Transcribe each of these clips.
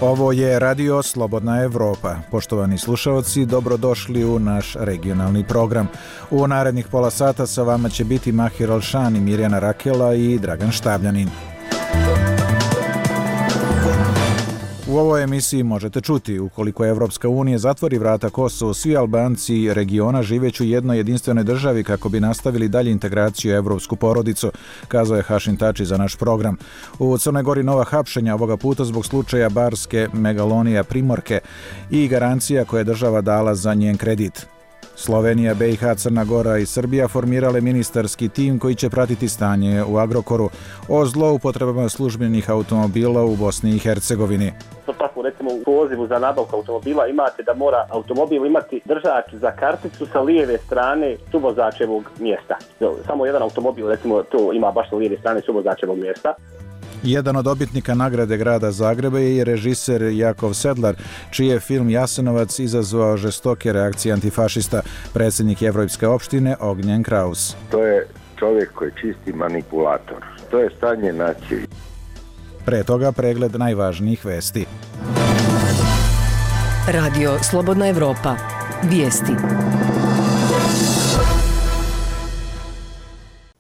Ovo je Radio Slobodna Evropa. Poštovani slušalci, dobrodošli u naš regionalni program. U narednih pola sata sa vama će biti Mahir Alšani, Mirjana Rakela i Dragan Štabljanin. U ovoj emisiji možete čuti, ukoliko Evropska unija zatvori vrata Kosovu, svi Albanci regiona živeću u jednoj jedinstvenoj državi kako bi nastavili dalje integraciju u evropsku porodicu, kazao je Hašim Tači za naš program. U Crnoj Gori nova hapšenja, ovoga puta zbog slučaja barske megalonija Primorke i garancija koje je država dala za njen kredit. Slovenija, BiH, Crna Gora i Srbija formirale ministarski tim koji će pratiti stanje u Agrokoru o zloupotrebama službenih automobila u Bosni i Hercegovini. Tako, recimo, u pozivu za nabavku automobila imate da mora automobil imati držač za karticu sa lijeve strane suvozačevog mjesta. Samo jedan automobil, recimo, to ima baš sa lijeve strane suvozačevog mjesta. Jedan od dobitnika nagrade grada Zagreba je režiser Jakov Sedlar, čiji je film Jasenovac izazvao žestoke reakcije antifašista, predsjednik Evropske opštine Ognjen Kraus. To je čovjek koji je čisti manipulator. To je stanje nacije. Pre toga pregled najvažnijih vesti. Radio Slobodna Evropa. Vijesti.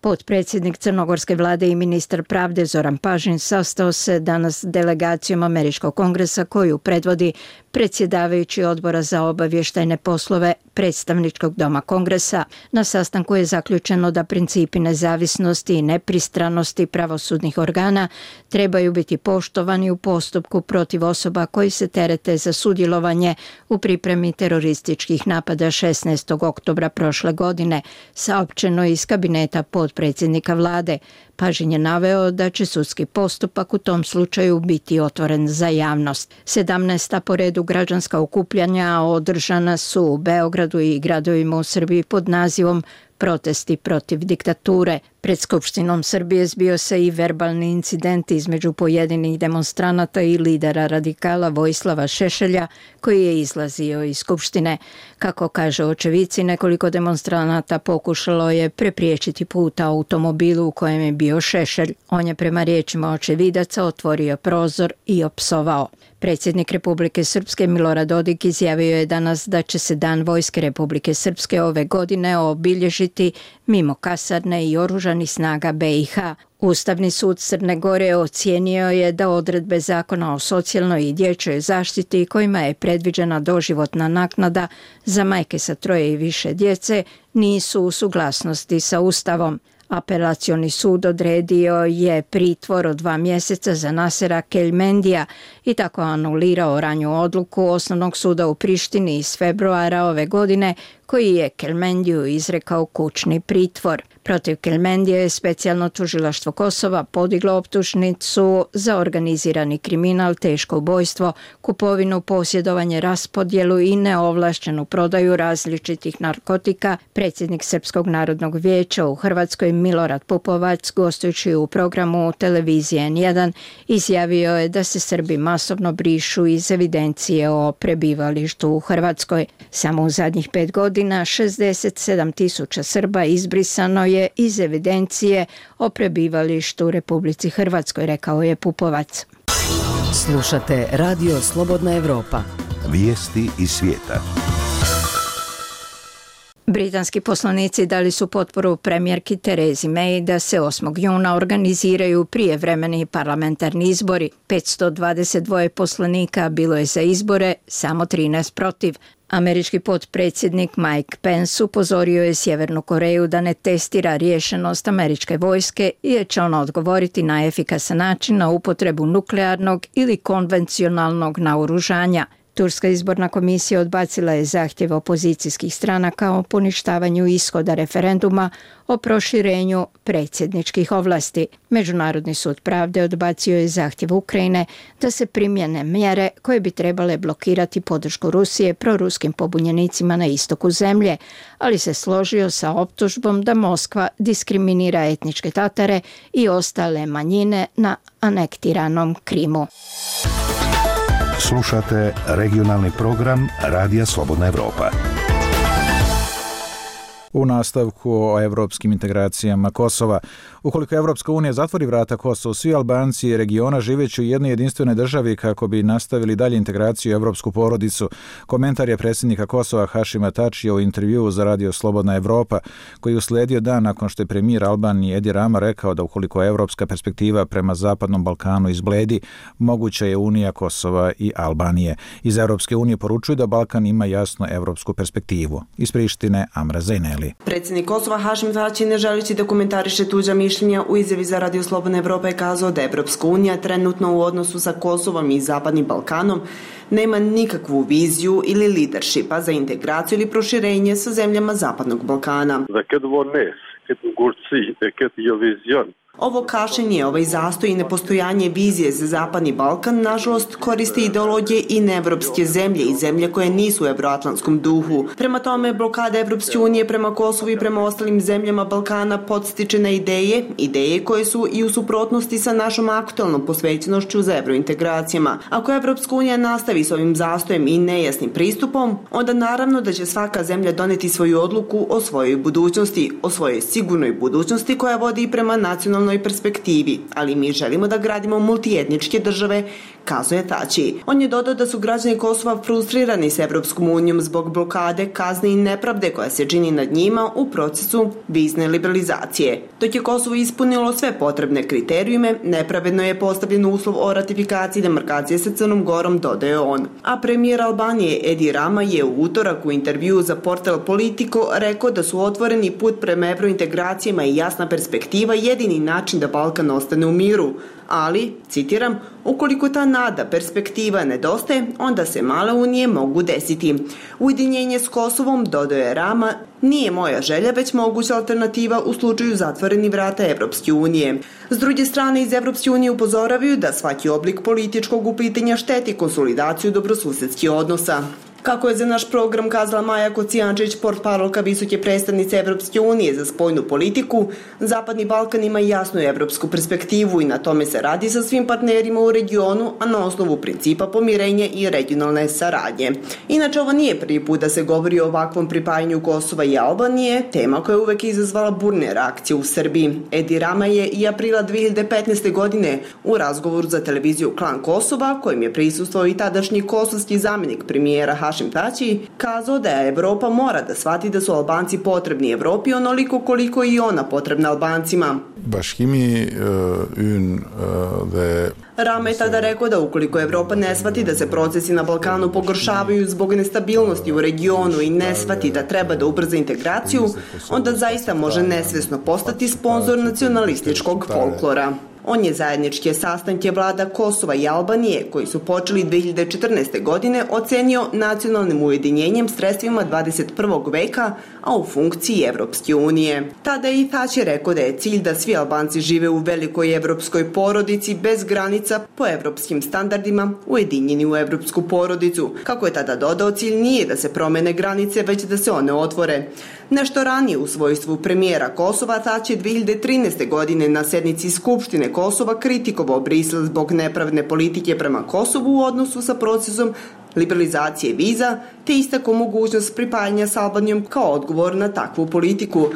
Potpredsjednik Crnogorske vlade i ministar pravde Zoran Pažin sastao se danas s delegacijom Američkog kongresa koju predvodi predsjedavajući odbora za obavještajne poslove predstavničkog doma kongresa. Na sastanku je zaključeno da principi nezavisnosti i nepristranosti pravosudnih organa trebaju biti poštovani u postupku protiv osoba koji se terete za sudjelovanje u pripremi terorističkih napada 16. oktobra prošle godine, saopćeno iz kabineta potpredsjednika vlade. Pažin je naveo da će sudski postupak u tom slučaju biti otvoren za javnost. 17. po redu građanska okupljanja održana su u Beogradu i gradovima u Srbiji pod nazivom Protesti protiv diktature. Pred Skupštinom Srbije zbio se i verbalni incident između pojedinih demonstranata i lidera radikala Vojislava Šešelja, koji je izlazio iz Skupštine. Kako kaže očevici, nekoliko demonstranata pokušalo je prepriječiti put automobilu u kojem je bio Šešelj. On je prema riječima očevidaca otvorio prozor i opsovao. Predsjednik Republike Srpske Milorad Dodik izjavio je danas da će se Dan Vojske Republike Srpske ove godine obilježiti mimo kasarne i oružanih snaga BiH. Ustavni sud Crne Gore ocijenio je da odredbe Zakona o socijalnoj i dječjoj zaštiti kojima je predviđena doživotna naknada za majke sa 3 i više djece nisu u suglasnosti sa Ustavom. Apelacioni sud odredio je pritvor od 2 mjeseca za Nasera Keljmendija i tako anulirao ranju odluku Osnovnog suda u Prištini iz februara ove godine koji je Keljmendiju izrekao kućni pritvor. Protiv Keljmendija je specijalno tužilaštvo Kosova podiglo optužnicu za organizirani kriminal, teško ubojstvo, kupovinu, posjedovanje, raspodjelu i neovlaštenu prodaju različitih narkotika. Predsjednik Srpskog narodnog vijeća u Hrvatskoj Milorad Pupovac, gostujući u programu televizije N1, izjavio je da se Srbi masovno brišu iz evidencije o prebivalištu u Hrvatskoj. Samo u zadnjih 5 godina 67.000 Srba izbrisano je iz evidencije o prebivalištu u Republici Hrvatskoj, rekao je Pupovac. Slušate Radio Slobodna Evropa. Vijesti iz svijeta. Britanski poslanici dali su potporu premijerki Terezi May da se 8. juna organiziraju prijevremeni parlamentarni izbori. 522 poslanika bilo je za izbore, samo 13 protiv. Američki potpredsjednik Mike Pence upozorio je Sjevernu Koreju da ne testira riješenost američke vojske jer će ona odgovoriti na efikasan način na upotrebu nuklearnog ili konvencionalnog naoružanja. Turska izborna komisija odbacila je zahtjev opozicijskih stranaka o poništavanju ishoda referenduma o proširenju predsjedničkih ovlasti. Međunarodni sud pravde odbacio je zahtjev Ukrajine da se primjene mjere koje bi trebale blokirati podršku Rusije proruskim pobunjenicima na istoku zemlje, ali se složio sa optužbom da Moskva diskriminira etničke Tatare i ostale manjine na anektiranom Krimu. Slušate regionalni program Radija Slobodna Evropa. U nastavku o evropskim integracijama Kosova. Ukoliko Evropska unija zatvori vrata Kosovu, svi Albanci regiona živeći u jednoj jedinstvenoj državi kako bi nastavili dalje integraciju u evropsku porodicu. Komentar je predsjednika Kosova Hašima Tačija u intervjuu za Radio Slobodna Evropa, koji usledio dan nakon što je premijer Albanije Edi Rama rekao da ukoliko evropska perspektiva prema Zapadnom Balkanu izbledi, moguća je unija Kosova i Albanije. Iz Evropske unije poručuju da Balkan ima jasnu evropsku perspektivu. Iz Prištine Amra Zejneli. Predsjednik Kosova Hašim Tači, ne želeći da komentariše tuđa mišljenja, u izjavi za Radio Slobodna Evropa je kazao da Evropska unija trenutno u odnosu sa Kosovom i Zapadnim Balkanom nema nikakvu viziju ili leadershipa za integraciju ili proširenje sa zemljama Zapadnog Balkana. Ovo kašenje, ovaj zastoj i nepostojanje vizije za Zapadni Balkan, nažalost, koriste ideologije i neevropske zemlje i zemlje koje nisu u evroatlantskom duhu. Prema tome, blokada Evropske unije prema Kosovu i prema ostalim zemljama Balkana podstiče na ideje koje su i u suprotnosti sa našom aktualnom posvećenošću za evrointegracijama. Ako Evropska unija nastavi s ovim zastojem i nejasnim pristupom, onda naravno da će svaka zemlja doneti svoju odluku o svojoj budućnosti, o svojoj sigurnoj budućnosti koja vodi prema nacionalnoj perspektivi, ali mi želimo da gradimo multietničke države, kazuje Tači. On je dodao da su građani Kosova frustrirani s Evropskom unijom zbog blokade, kazne i nepravde koja se čini nad njima u procesu vizne liberalizacije. Dok je Kosovo ispunilo sve potrebne kriterijume, nepravedno je postavljen uslov o ratifikaciji demarkacije sa Crnom Gorom, dodaje on. A premijer Albanije Edi Rama je u utorak u intervjuu za portal Politico rekao da su otvoreni put prema evrointegracijama i jasna perspektiva jedini način da Balkan ostane u miru, ali, citiram, ukoliko ta nada, perspektiva nedostaje, onda se male unije mogu desiti. Ujedinjenje s Kosovom, dodaje Rama, nije moja želja, već moguća alternativa u slučaju zatvorenih vrata Evropske unije. S druge strane, iz Evropske unije upozoravaju da svaki oblik političkog uplitanja šteti konsolidaciju dobrosusedskih odnosa. Kako je za naš program kazala Maja Kocijančić, portparolka visoke predstavnice Evropske unije za spoljnu politiku, Zapadni Balkan ima jasnu evropsku perspektivu i na tome se radi sa svim partnerima u regionu, a na osnovu principa pomirenja i regionalne saradnje. Inače, ovo nije prvi put da se govori o ovakvom pripajanju Kosova i Albanije, tema koja je uvek izazvala burne reakcije u Srbiji. Edi Rama je i aprila 2015. godine u razgovoru za televiziju Klan Kosova, kojim je prisustvovao i tadašnji kosovski zamjenik premijera Hašim Tači, kazao da Evropa mora da shvati da su Albanci potrebni Evropi onoliko koliko i ona potrebna Albancima. Rama je tada rekao da ukoliko Evropa ne shvati da se procesi na Balkanu pogoršavaju zbog nestabilnosti u regionu i ne shvati da treba da ubrza integraciju, onda zaista može nesvesno postati sponzor nacionalističkog folklora. On je zajedničke sastanke vlada Kosova i Albanije, koji su počeli 2014. godine, ocenio nacionalnim ujedinjenjem sredstvima 21. veka, a u funkciji Evropske unije. Tada je i Tači rekao da je cilj da svi Albanci žive u velikoj evropskoj porodici bez granica po evropskim standardima, ujedinjeni u evropsku porodicu. Kako je tada dodao, cilj nije da se promene granice, već da se one otvore. Nešto ranije u svojstvu premijera Kosova, Tači 2013. godine na sednici Skupštine Kosova kritikovao Brisel zbog nepravedne politike prema Kosovu u odnosu sa procesom liberalizacije viza, te istakao mogućnost pripajanja s Albanijom kao odgovor na takvu politiku.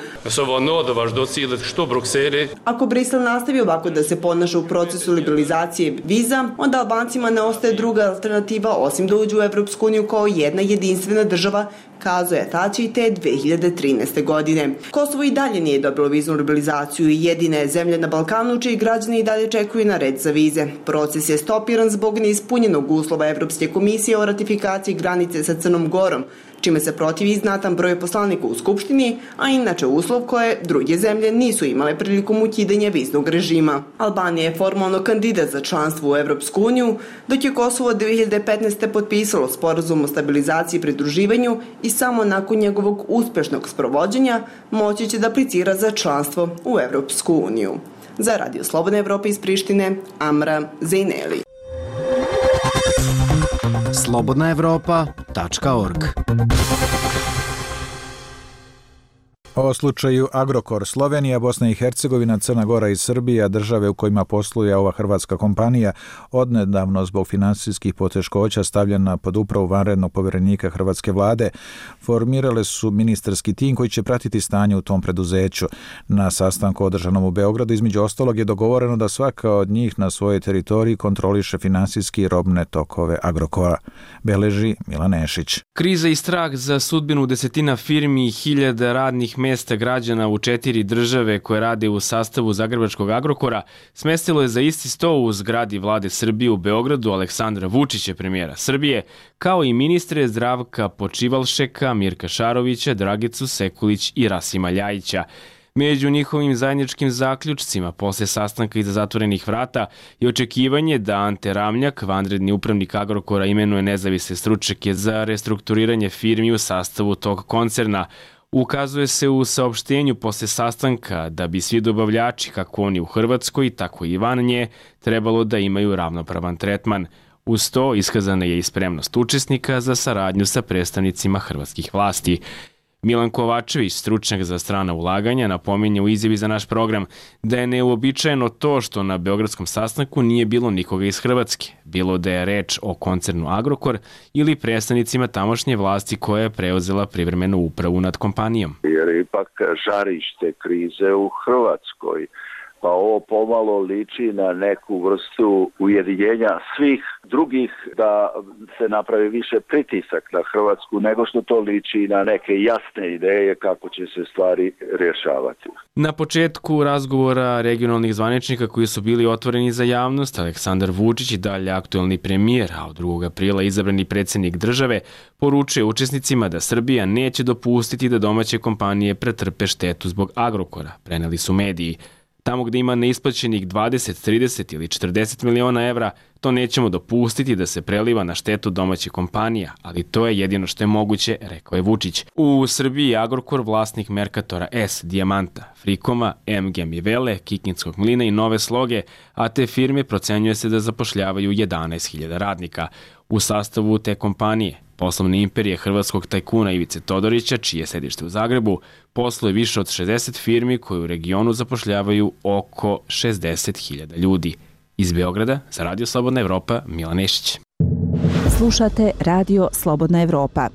Ako Brisel nastavi ovako da se ponaša u procesu liberalizacije viza, onda Albancima ne ostaje druga alternativa osim da uđu u Evropsku uniju kao jedna jedinstvena država, kazuje Tači te 2013. godine. Kosovo i dalje nije dobilo viznu liberalizaciju i jedina je zemlja na Balkanu čiji građani i dalje čekuju na red za vize. Proces je stopiran zbog neispunjenog uslova Evropske komisije o ratifikaciji granice sa Crnom Gorom, čime se protivi znatan broj poslanika u Skupštini, a inače uslov koje druge zemlje nisu imale prilikom ukidanja viznog režima. Albanija je formalno kandidat za članstvo u Evropsku uniju, dok je Kosovo 2015. potpisalo sporazum o stabilizaciji i pridruživanju i samo nakon njegovog uspešnog sprovođenja moći će da aplicira za članstvo u Evropsku uniju. Za Radio Slobodna Evropa iz Prištine, Amra Zejneli. slobodnaevropa.org O slučaju Agrokor, Slovenija, Bosna i Hercegovina, Crna Gora i Srbija, države u kojima posluje ova hrvatska kompanija, odnedavno zbog finansijskih poteškoća stavljena pod upravu vanrednog povjerenika hrvatske vlade, formirale su ministarski tim koji će pratiti stanje u tom preduzeću. Na sastanku održanom u Beogradu između ostalog je dogovoreno da svaka od njih na svojoj teritoriji kontroliše finansijski i robne tokove Agrokora. Beleži Milan Nešić. Kriza i strah za sudbinu desetina firmi i hiljada radnih mesta građana u 4 države koje rade u sastavu zagrebačkog Agrokora smestilo je za isti sto u zgradi vlade Srbije u Beogradu Aleksandra Vučića, premijera Srbije, kao i ministre Zdravka Počivalšeka, Mirka Šarovića, Dragicu Sekulić i Rasima Ljajića. Među njihovim zajedničkim zaključcima posle sastanka iza zatvorenih vrata je očekivanje da Ante Ramljak, vanredni upravnik Agrokora, imenuje nezavisne stručnjake za restrukturiranje firmi u sastavu tog koncerna. Ukazuje se u saopštenju posle sastanka da bi svi dobavljači, kako oni u Hrvatskoj, tako i van nje, trebalo da imaju ravnopravan tretman. Uz to iskazana je i spremnost učesnika za saradnju sa predstavnicima hrvatskih vlasti. Milan Kovačević, stručnjak za strana ulaganja, napominje u izjavi za naš program da je neuobičajeno to što na beogradskom sastanku nije bilo nikoga iz Hrvatske, bilo da je reč o koncernu Agrokor ili predstavnicima tamošnje vlasti koja je preuzela privremenu upravu nad kompanijom. Jer ipak žarište krize u Hrvatskoj, pa ovo pomalo liči na neku vrstu ujedinjenja svih drugih da se napravi više pritisak na Hrvatsku nego što to liči na neke jasne ideje kako će se stvari rješavati. Na početku razgovora regionalnih zvaničnika koji su bili otvoreni za javnost, Aleksandar Vučić i dalje aktuelni premijer, a od 2. aprila izabrani predsjednik države, poručuje učesnicima da Srbija neće dopustiti da domaće kompanije pretrpe štetu zbog Agrokora, preneli su mediji. Tamo gde ima neisplaćenih 20, 30 ili 40 miliona evra, to nećemo dopustiti da se preliva na štetu domaćih kompanija, ali to je jedino što je moguće, rekao je Vučić. U Srbiji je Agrokor vlasnik Merkatora S, Dijamanta, Frikoma, MG Mivele, Kikinskog mlina i Nove Sloge, a te firme procenjuje se da zapošljavaju 11.000 radnika. U sastavu te kompanije, poslovne imperije hrvatskog tajkuna Ivice Todorića, čije je sedište u Zagrebu, posluje više od 60 firmi koje u regionu zapošljavaju oko 60.000 ljudi. Iz Beograda, za Radio Slobodna Evropa, Milan Nešić. Slušate Radio Slobodna Evropa.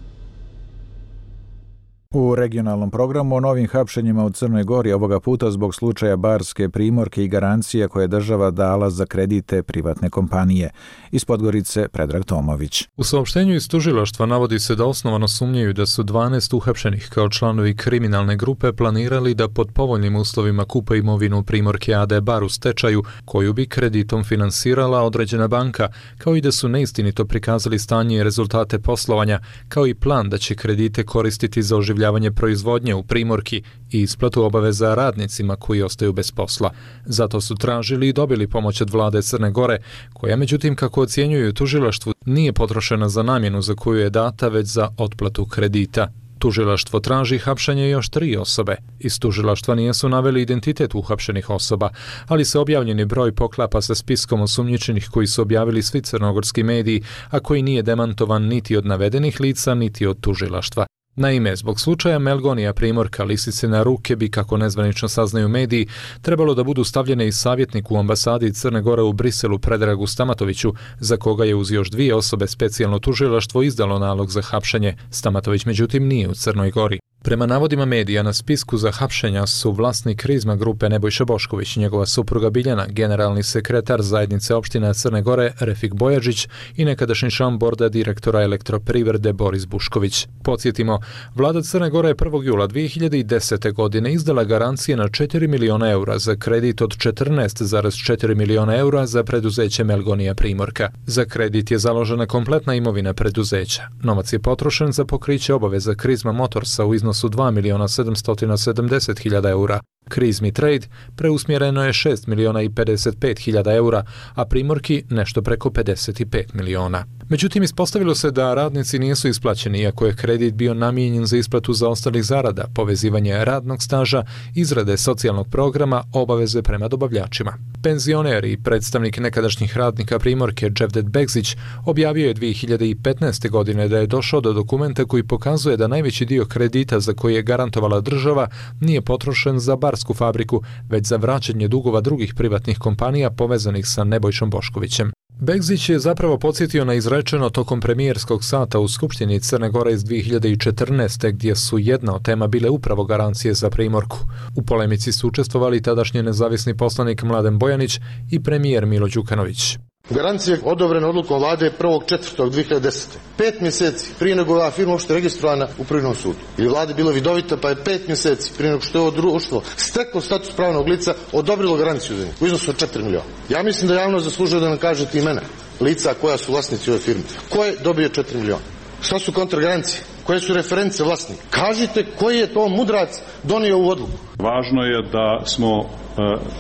U regionalnom programu o novim hapšenjima u Crnoj Gori, ovoga puta zbog slučaja Barske Primorke i garancija koje je država dala za kredite privatne kompanije. Iz Podgorice, Predrag Tomović. U saopštenju iz tužilaštva navodi se da osnovano sumnjaju da su 12 uhapšenih kao članovi kriminalne grupe planirali da pod povoljnim uslovima kupe imovinu Primorke AD Bar u stečaju, koju bi kreditom finansirala određena banka, kao i da su neistinito prikazali stanje i rezultate poslovanja, kao i plan da će kredite koristiti za oživljavanje proizvodnje u Primorki i isplatu obaveza radnicima koji ostaju bez posla. Zato su tražili i dobili pomoć od vlade Crne Gore, koja međutim, kako ocjenjuju tužilaštvu, nije potrošena za namjenu za koju je data, već za otplatu kredita. Tužilaštvo traži hapšenje još 3 osobe. Iz tužilaštva nisu naveli identitet uhapšenih osoba, ali se objavljeni broj poklapa sa spiskom osumnjičenih koji su objavili svi crnogorski mediji, a koji nije demantovan niti od navedenih lica, niti od tužilaštva. Naime, zbog slučaja Melgonija Primorka lisice na ruke bi, kako nezvanično saznaju mediji, trebalo da budu stavljene i savjetnik u ambasadi Crne Gore u Briselu Predragu Stamatoviću, za koga je uz još 2 osobe specijalno tužilaštvo izdalo nalog za hapšenje. Stamatović međutim nije u Crnoj Gori. Prema navodima medija, na spisku za hapšenja su vlasnik Krizma grupe Nebojša Bošković, njegova supruga Biljana, generalni sekretar zajednice opština Crne Gore Refik Bojađić i nekadašnji član borda direktora Elektroprivrede Boris Bušković. Podsjetimo, vlada Crne Gore je 1. jula 2010. godine izdala garancije na 4 miliona eura za kredit od 14,4 miliona eura za preduzeće Melgonija Primorka. Za kredit je založena kompletna imovina preduzeća. Novac je potrošen za pokriće obaveza Krizma Motorsa u iznosu 2.770.000 eura. Krizmi Trade preusmjereno je 6 miliona i 55 hiljada eura, a Primorki nešto preko 55 miliona. Međutim, ispostavilo se da radnici nisu isplaćeni, iako je kredit bio namijenjen za isplatu zaostalih zarada, povezivanje radnog staža, izrade socijalnog programa, obaveze prema dobavljačima. Penzioner i predstavnik nekadašnjih radnika Primorke Dževdet Begzić objavio je 2015. godine da je došao do dokumenta koji pokazuje da najveći dio kredita za koji je garantovala država nije potrošen za barsku fabriku, već za vraćanje dugova drugih privatnih kompanija povezanih sa Nebojšom Boškovićem. Begzić je zapravo podsjetio na izrečeno tokom premijerskog sata u Skupštini Crne Gore iz 2014. gdje su jedna od tema bile upravo garancije za Primorku. U polemici su učestvovali tadašnji nezavisni poslanik Mladen Bojanić i premijer Milo Đukanović. Garancija je odobrena odlukom vlade 1.4.2010. 5 mjeseci prije nego je ova firma uopšte registrovana u Privrednom sudu. Ili vlada bila vidovita, pa je 5 mjeseci prije nego što je ovo društvo steklo status pravnog lica odobrilo garanciju za njih u iznosu od 4 miliona. Ja mislim da javnost zaslužuje da nam kažete imena lica koja su vlasnici ove firme. Ko je dobio 4 miliona? Šta su kontragarancije? Koje su reference vlasnika? Kažite koji je to mudrac donio u odluku. Važno je da smo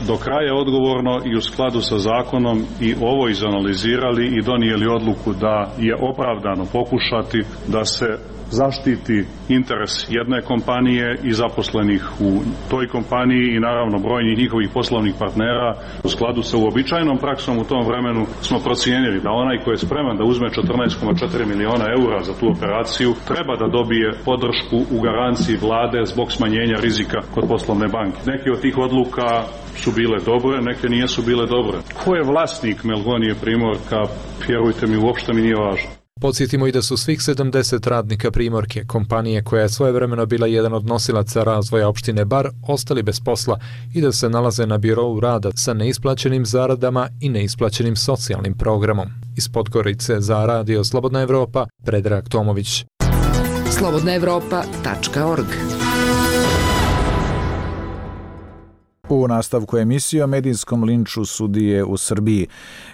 do kraja odgovorno i u skladu sa zakonom i ovo izanalizirali i donijeli odluku da je opravdano pokušati da se zaštiti interes jedne kompanije i zaposlenih u toj kompaniji i naravno brojnih njihovih poslovnih partnera. U skladu sa uobičajenom praksom u tom vremenu smo procijenili da onaj koji je spreman da uzme 14,4 miliona eura za tu operaciju treba da dobije podršku u garanciji vlade zbog smanjenja rizika kod poslovne banke. Neke od tih odluka su bile dobre, neke nisu bile dobre. Ko je vlasnik Melgonije Primorka, vjerujte mi, uopšte mi nije važno. Podsjetimo i da su svih 70 radnika Primorke, kompanije koja je svojevremeno bila jedan od nosilaca razvoja opštine Bar, ostali bez posla i da se nalaze na birou rada sa neisplaćenim zaradama i neisplaćenim socijalnim programom. Iz Podgorice za Radio Slobodna Evropa, Predrag Tomović. slobodnaevropa.org. U nastavku emisije o medijskom linču sudije u Srbiji.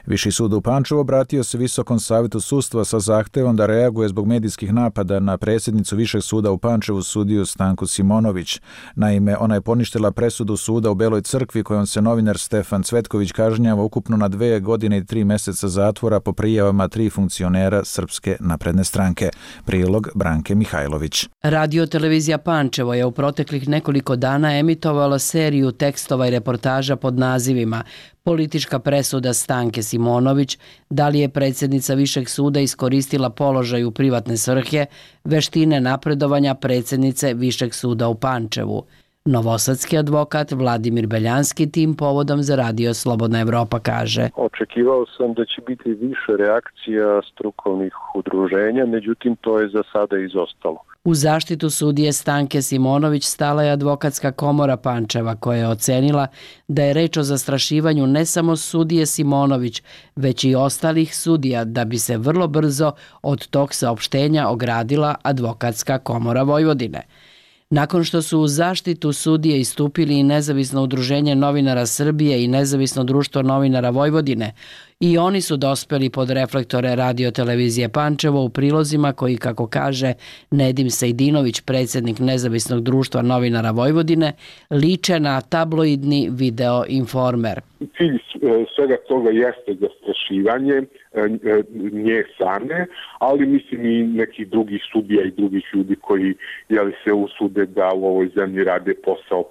Viši sud u Pančevu obratio se Visokom savetu sudstva sa zahtevom da reaguje zbog medijskih napada na predsjednicu Višeg suda u Pančevu sudiju Stanku Simonović. Naime, ona je poništila presudu suda u Beloj Crkvi kojom se novinar Stefan Cvetković kažnjava ukupno na 2 godine i 3 mjeseca zatvora po prijavama 3 funkcionera Srpske napredne stranke. Prilog Branke Mihajlović. Radio televizija Pančevo je u proteklih nekoliko dana emitovala seriju tekstova i reportaža pod nazivima Politička presuda Stanke Simonović, da li je predsjednica Višeg suda iskoristila položaj u privatne svrhe, veštine napredovanja predsjednice Višeg suda u Pančevu. Novosadski advokat Vladimir Beljanski tim povodom za Radio Slobodna Evropa kaže: Očekivao sam da će biti više reakcija strukovnih udruženja, međutim to je za sada izostalo. U zaštitu sudije Stanke Simonović stala je advokatska komora Pančeva koja je ocenila da je reč o zastrašivanju ne samo sudije Simonović, već i ostalih sudija, da bi se vrlo brzo od tog saopštenja ogradila advokatska komora Vojvodine. Nakon što su u zaštitu sudije istupili i Nezavisno udruženje novinara Srbije i Nezavisno društvo novinara Vojvodine, i oni su dospeli pod reflektore Radio televizije Pančevo u prilozima koji, kako kaže Nedim Sejdinović, predsjednik Nezavisnog društva novinara Vojvodine, liče na tabloidni video informer. Cilj svega toga jeste zastrašivanje nje same, ali mislim i nekih drugih sudija i drugih ljudi koji se usude da u ovoj zemlji rade posao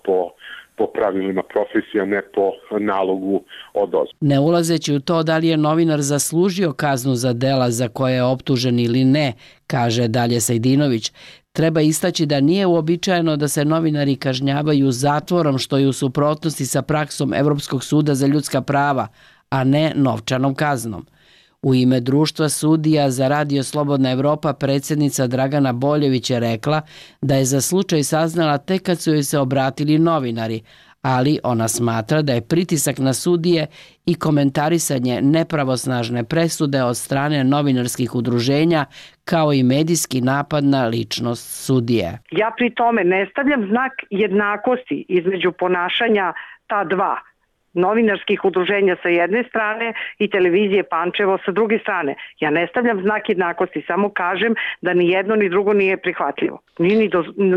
po pravilima profesija, ne po nalogu odozdo. Ne ulazeći u to da li je novinar zaslužio kaznu za dela za koje je optužen ili ne, kaže dalje Sejdinović, treba istaći da nije uobičajeno da se novinari kažnjavaju zatvorom, što je u suprotnosti sa praksom Evropskog suda za ljudska prava, a ne novčanom kaznom. U ime društva sudija za Radio Slobodna Evropa predsjednica Dragana Boljević je rekla da je za slučaj saznala tek kad su joj se obratili novinari, ali ona smatra da je pritisak na sudije i komentarisanje nepravosnažne presude od strane novinarskih udruženja kao i medijski napad na ličnost sudije. Ja pri tome ne stavljam znak jednakosti između ponašanja ta dva novinarskih udruženja sa jedne strane i televizije Pančevo sa druge strane. Ja ne stavljam znak jednakosti, samo kažem da ni jedno ni drugo nije prihvatljivo,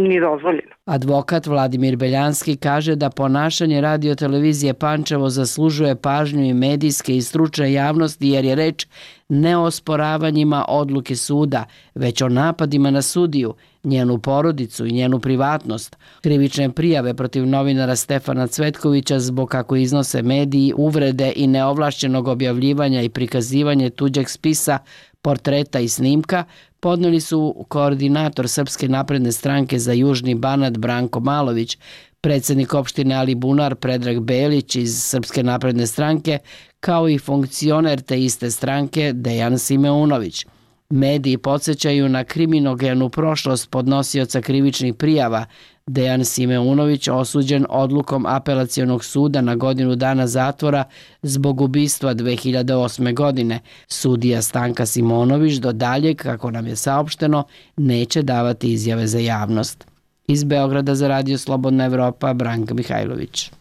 ni dozvoljeno. Advokat Vladimir Beljanski kaže da ponašanje radiotelevizije Pančevo zaslužuje pažnju i medijske i stručne javnosti jer je reč ne o osporavanjima odluke suda, već o napadima na sudiju, njenu porodicu i njenu privatnost. Krivične prijave protiv novinara Stefana Cvetkovića zbog, kako iznose mediji, uvrede i neovlašćenog objavljivanja i prikazivanje tuđeg spisa, portreta i snimka podneli su koordinator Srpske napredne stranke za Južni Banat Branko Malović, predsjednik opštine Alibunar Predrag Belić iz Srpske napredne stranke, kao i funkcioner te iste stranke Dejan Simeunović. Mediji podsjećaju na kriminogenu prošlost podnosioca krivičnih prijava. Dejan Simeunović osuđen odlukom apelacionog suda na godinu dana zatvora zbog ubistva 2008. godine. Sudija Stanka Simonović do daljeg, kako nam je saopšteno, neće davati izjave za javnost. Iz Beograda za Radio Slobodna Evropa, Branka Mihajlović.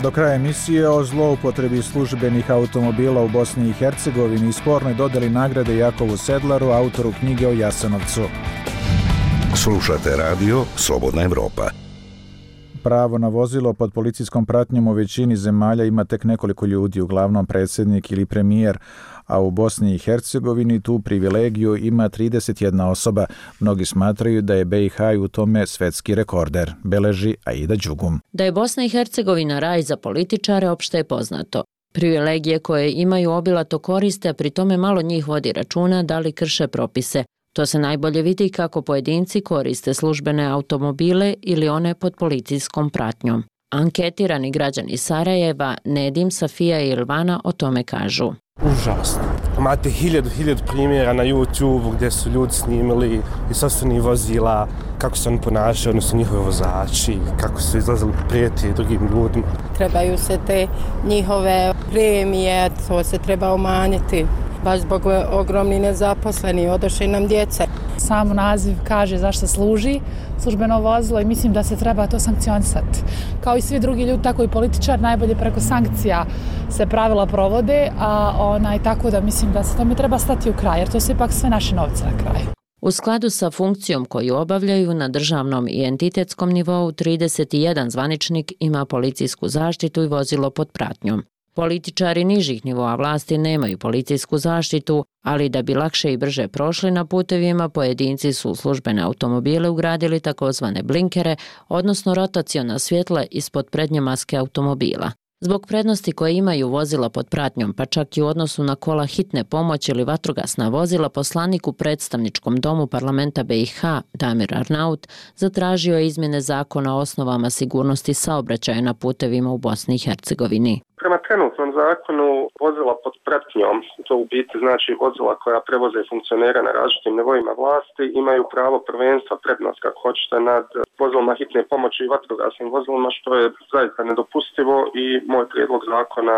Do kraja emisije o zloupotrebi službenih automobila u Bosni i Hercegovini i spornoj dodeli nagrade Jakovu Sedlaru, autoru knjige o Jasenovcu. Slušate radio Slobodna Evropa. Pravo na vozilo pod policijskom pratnjom u većini zemalja ima tek nekoliko ljudi, uglavnom predsjednik ili premijer, a u Bosni i Hercegovini tu privilegiju ima 31 osoba. Mnogi smatraju da je BiH u tome svetski rekorder, beleži Aida Đugum. Da je Bosna i Hercegovina raj za političare opšte je poznato. Privilegije koje imaju obilato koriste, a pri tome malo njih vodi računa da li krše propise. To se najbolje vidi kako pojedinci koriste službene automobile ili one pod policijskom pratnjom. Anketirani građani Sarajeva, Nedim, Safija i Ilvana o tome kažu. Užasno. Imate hiljadu primjera na YouTube gdje su ljudi snimili i sopstvenih vozila, kako se oni ponašaju, odnosno njihovi vozači, kako su izlazili prijeti drugim ljudima. Trebaju se te njihove premije, to se treba umanjiti. Baš zbog ogromni nezaposleni, odošli nam djeca. Sam naziv kaže zašto služi službeno vozilo i mislim da se treba to sankcionisati. Kao i svi drugi ljudi, tako i političar, najbolje preko sankcija se pravila provode, a tako da mislim da se tome treba stati u kraj, jer to su ipak sve naše novce na kraju. U skladu sa funkcijom koju obavljaju na državnom i entitetskom nivou, 31 zvaničnik ima policijsku zaštitu i vozilo pod pratnjom. Političari nižih nivoa vlasti nemaju policijsku zaštitu, ali da bi lakše i brže prošli na putevima, pojedinci su u službene automobile ugradili takozvane blinkere, odnosno rotaciona svjetla ispod prednje maske automobila. Zbog prednosti koje imaju vozila pod pratnjom, pa čak i u odnosu na kola hitne pomoći ili vatrogasna vozila, poslanik u predstavničkom domu parlamenta BiH, Damir Arnaut, zatražio je izmjene zakona o osnovama sigurnosti saobraćaja na putevima u Bosni i Hercegovini. Prema trenutnom zakonu vozila pod pratnjom, to u biti znači vozila koja prevoze funkcionera na različitim nivoima vlasti, imaju pravo prvenstva, prednost kako hoćete nad vozilima hitne pomoći i vatrogasnim vozilima, što je zaista nedopustivo i moj prijedlog zakona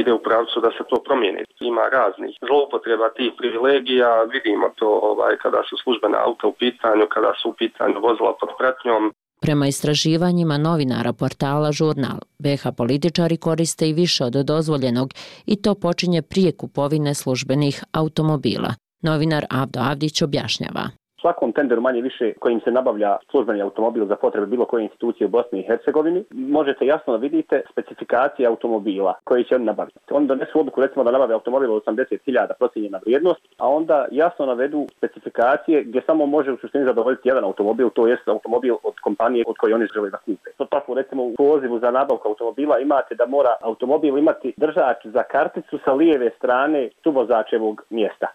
ide u pravcu da se to promijeni. Ima raznih zloupotreba tih privilegija, vidimo to kada su službena auta u pitanju, kada su u pitanju vozila pod pratnjom. Prema istraživanjima novinara portala Žurnal, BiH političari koriste i više od dozvoljenog i to počinje prije kupovine službenih automobila. Novinar Avdo Avdić objašnjava. Svakom tenderu manje više kojim se nabavlja službeni automobil za potrebe bilo koje institucije u Bosni i Hercegovini, možete jasno da vidite specifikacije automobila koji će oni nabaviti. Oni donesu odluku recimo da nabave automobil od 80.000 procijenjena vrijednost, a onda jasno navedu specifikacije gdje samo može u suštini zadovoljiti jedan automobil, to jest automobil od kompanije od koje oni žele da kupe. To tako recimo u pozivu za nabavku automobila imate da mora automobil imati držač za karticu sa lijeve strane suvozačevog mjesta.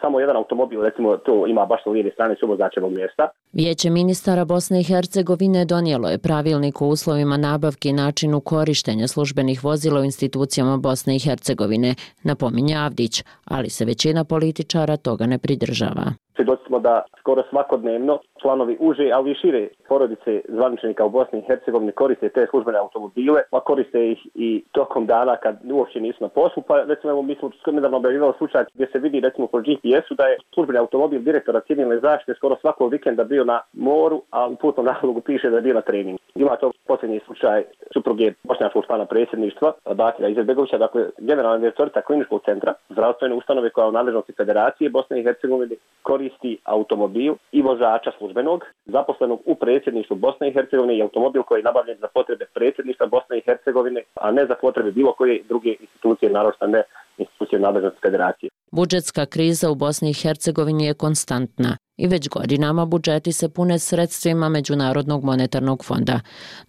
Samo jedan automobil recimo to ima baš sa lijeve strane suvozačevog mjesta. Vijeće ministara Bosne i Hercegovine donijelo je pravilnik o uslovima nabavke i načinu korištenja službenih vozila u institucijama Bosne i Hercegovine, napominje Avdić, ali se većina političara toga ne pridržava. Svjedoci smo da skoro svakodnevno članovi uže, ali i šire porodice zvaničnika u Bosni i Hercegovini koriste te službene automobile, pa koriste ih i tokom dana kad uopće nisu na poslu. Pa recimo mi smo nedavno objavljivali slučaj gdje se vidi recimo po GPS-u da je službeni automobil direktora civilne zaštite skoro svakog vikenda bio na moru, a u putnom nalogu piše da je bio na treningu. Ima to posljednji slučaj supruge bošnjačkog člana predsjedništva Bakira Izetbegovića, dakle generalna direktorica kliničkog centra zdravstvene ustanove koja u nadležnosti Federacije Bosne i Hercegovine koristi automobil i vozača službenog zaposlenog u predsjedništvu Bosne i Hercegovine i automobil koji je nabavljen za potrebe predsjedništva Bosne i Hercegovine, a ne za potrebe bilo koje druge institucije, naročito ne institucije nadležnosti Federacije. Budžetska kriza u Bosni i Hercegovini je konstantna i već godinama budžeti se pune sredstvima Međunarodnog monetarnog fonda,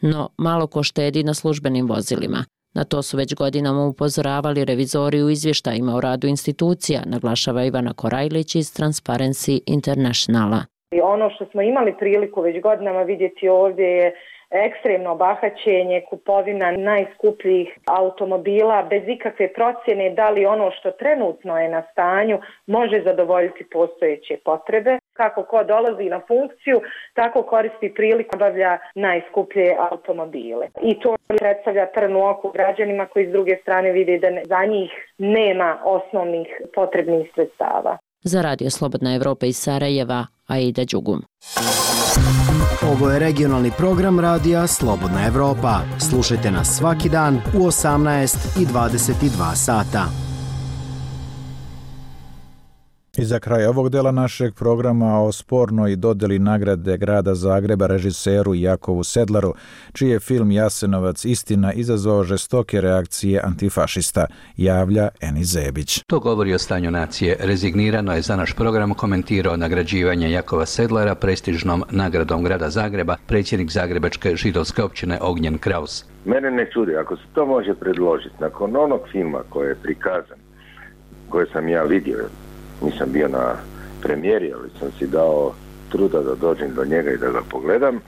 no malo ko štedi na službenim vozilima. Na to su već godinama upozoravali revizori u izvještajima o radu institucija, naglašava Ivana Korajlić iz Transparency Internationala. Ono što smo imali priliku već godinama vidjeti ovdje je ekstremno bahaćenje, kupovina najskupljih automobila bez ikakve procjene da li ono što trenutno je na stanju može zadovoljiti postojeće potrebe. Kako ko dolazi na funkciju, tako koristi priliku obavlja najskuplje automobile. I to predstavlja trn u oku građanima koji s druge strane vide da za njih nema osnovnih potrebnih sredstava. Za Radio Slobodna Evropa iz Sarajeva, Aida Đugum. Ovo je regionalni program Radija Slobodna Evropa. Slušajte nas svaki dan u 18 i 22 sata. I za kraj ovog dela našeg programa o spornoj dodjeli nagrade grada Zagreba režiseru Jakovu Sedlaru, čiji je film Jasenovac istina izazvao žestoke reakcije antifašista, javlja Eni Zebić. To govori o stanju nacije. Rezignirano je za naš program komentirao nagrađivanje Jakova Sedlara prestižnom nagradom grada Zagreba predsjednik Zagrebačke židovske općine Ognjen Kraus. Mene ne čudi, ako se to može predložiti, nakon onog filma koji je prikazan, koje sam ja vidio, nisam bio na premijeri, ali sam si dao truda da dođem do njega i da ga pogledam.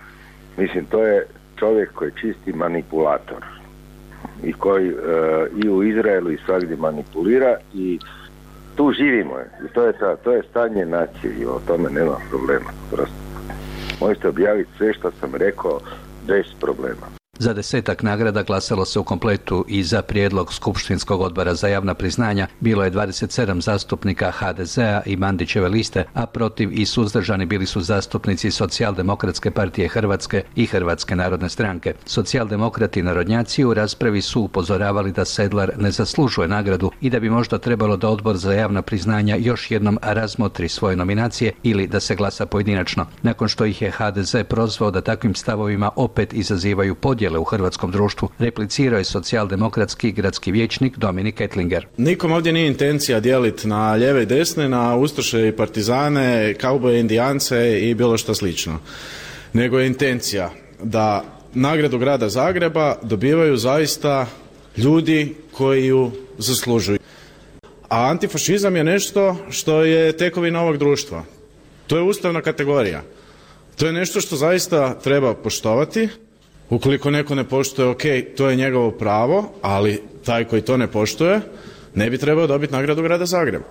Mislim, to je čovjek koji je čisti manipulator i koji i u Izraelu i svagdje manipulira i tu živimo. I to je stanje nacije i o tome nema problema. Prosto. Možete objaviti sve što sam rekao bez problema. Za 10 nagrada glasalo se u kompletu i za prijedlog Skupštinskog odbora za javna priznanja bilo je 27 zastupnika HDZ-a i Mandićeve liste, a protiv i suzdržani bili su zastupnici Socijaldemokratske partije Hrvatske i Hrvatske narodne stranke. Socijaldemokrati i narodnjaci u raspravi su upozoravali da Sedlar ne zaslužuje nagradu i da bi možda trebalo da odbor za javna priznanja još jednom razmotri svoje nominacije ili da se glasa pojedinačno. Nakon što ih je HDZ prozvao da takvim stavovima opet izazivaju podjele u hrvatskom društvu, replicirao je socijaldemokratski gradski vijećnik Dominik Ettlinger. Nikom ovdje nije intencija dijeliti na lijeve i desne, na ustaše i partizane, kauboje, indijance i bilo što slično. Nego je intencija da nagradu grada Zagreba dobivaju zaista ljudi koji ju zaslužuju. A antifašizam je nešto što je tekovina ovog društva. To je ustavna kategorija. To je nešto što zaista treba poštovati. Ukoliko neko ne poštuje, ok, to je njegovo pravo, ali taj koji to ne poštuje ne bi trebao dobiti nagradu grada Zagreba.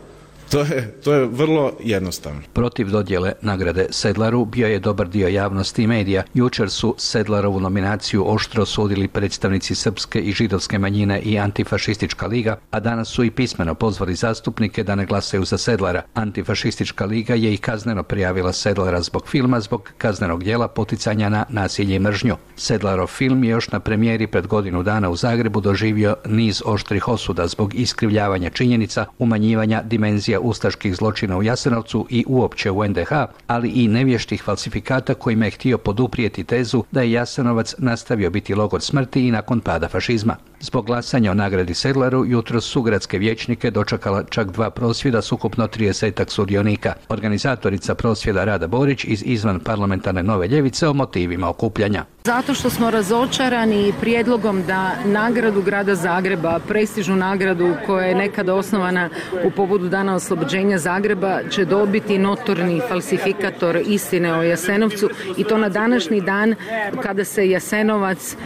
To je vrlo jednostavno. Protiv dodjele nagrade Sedlaru bio je dobar dio javnosti i medija. Jučer su Sedlarovu nominaciju oštro sudili predstavnici srpske i židovske manjine i Antifašistička liga, a danas su i pismeno pozvali zastupnike da ne glasaju za Sedlara. Antifašistička liga je i kazneno prijavila Sedlara zbog filma zbog kaznenog djela poticanja na nasilje i mržnju. Sedlarov film je još na premijeri pred godinu dana u Zagrebu doživio niz oštrih osuda zbog iskrivljavanja činjenica, umanjivanja dimenzija ustaških zločina u Jasenovcu i uopće u NDH, ali i nevještih falsifikata kojima je htio poduprijeti tezu da je Jasenovac nastavio biti logor smrti i nakon pada fašizma. Zbog glasanja o nagradi Sedlaru jutros su gradske vijećnike dočekala čak 2 prosvjeda s ukupno 30 sudionika. Organizatorica prosvjeda Rada Borić iz izvan parlamentarne Nove ljevice o motivima okupljanja. Zato što smo razočarani prijedlogom da nagradu grada Zagreba, prestižnu nagradu koja je nekada osnovana u povodu Dana oslobođenja Zagreba, će dobiti notorni falsifikator istine o Jasenovcu i to na današnji dan kada se Jasenovac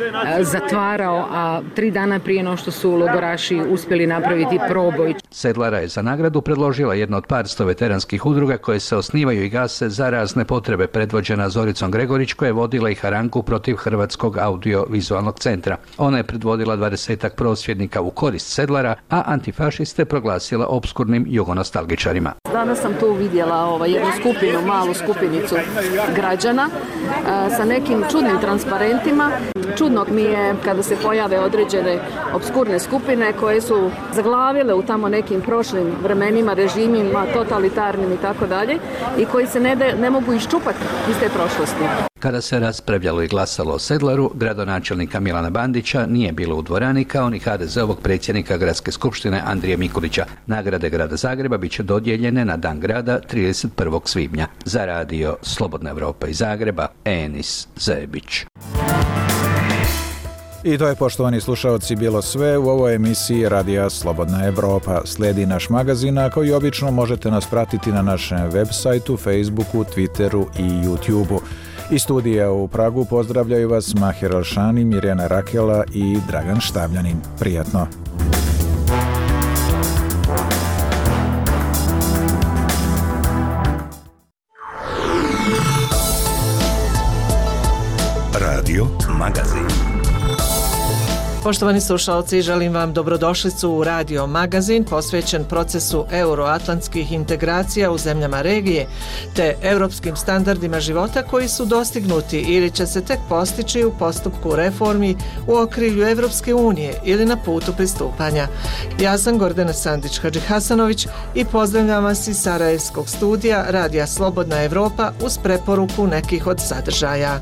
zatvarao, a 3 dana prije no što su logoraši uspjeli napraviti proboj. Sedlara je za nagradu predložila jedno od par sto veteranskih udruga koje se osnivaju i gase za razne potrebe, predvođena Zoricom Gregorić, koja je vodila i harangu protiv Hrvatskog audio-vizualnog centra. Ona je predvodila 20 prosvjednika u korist Sedlara, a antifašiste proglasila opskurnim jugonostalgičarima. Danas sam tu vidjela jednu skupinu, malu skupinicu građana sa nekim čudnim transparentima. Čudno mi je kada se pojave određene obskurne skupine koje su zaglavile u tamo nekim prošlim vremenima, režimima, totalitarnim i tako dalje, i koji se ne mogu iščupati iz te prošlosti. Kada se raspravljalo i glasalo o Sedlaru, gradonačelnika Milana Bandića nije bilo u dvorani, kao ni HDZ-ovog predsjednika Gradske skupštine Andrije Mikulića. Nagrade Grada Zagreba bit će dodijeljene na Dan grada 31. svibnja. Za radio Slobodna Evropa iz Zagreba, Enis Zebić. I to je, poštovani slušaoci, bilo sve u ovoj emisiji Radija Slobodna Evropa. Slijedi naš magazin, a kao i obično možete nas pratiti na našem web sajtu, Facebooku, Twitteru i YouTubeu. Iz studija u Pragu pozdravljaju vas Mahir Alšani, Mirjana Rakela i Dragan Štavljanin. Prijatno! Radio Magazin. Poštovani slušalci, želim vam dobrodošlicu u Radio Magazin posvećen procesu euroatlantskih integracija u zemljama regije te europskim standardima života koji su dostignuti ili će se tek postići u postupku reformi u okrilju Evropske unije ili na putu pristupanja. Ja sam Gordana Sandić-Hadžihasanović i pozdravljam vas iz Sarajevskog studija Radija Slobodna Evropa uz preporuku nekih od sadržaja.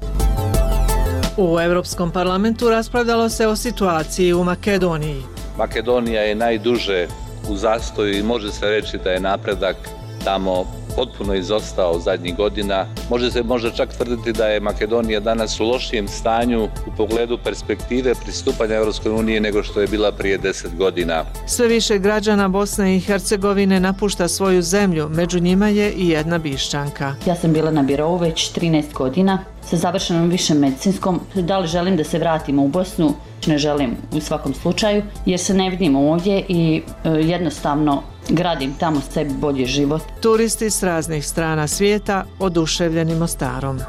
U Europskom parlamentu raspravljalo se o situaciji u Makedoniji. Makedonija je najduže u zastoju i može se reći da je napredak tamo potpuno izostao zadnjih godina. Može se možda čak tvrditi da je Makedonija danas u lošijem stanju u pogledu perspektive pristupanja Europskoj uniji nego što je bila prije 10 godina. Sve više građana Bosne i Hercegovine napušta svoju zemlju, među njima je i jedna Bišćanka. Ja sam bila na birou već 13 godina sa završenom višem medicinskom. Da li želim da se vratimo u Bosnu? Ne želim u svakom slučaju, jer se ne vidim ovdje i jednostavno gradim tamo sebi bolji život. Turisti s raznih strana svijeta oduševljeni Mostarom.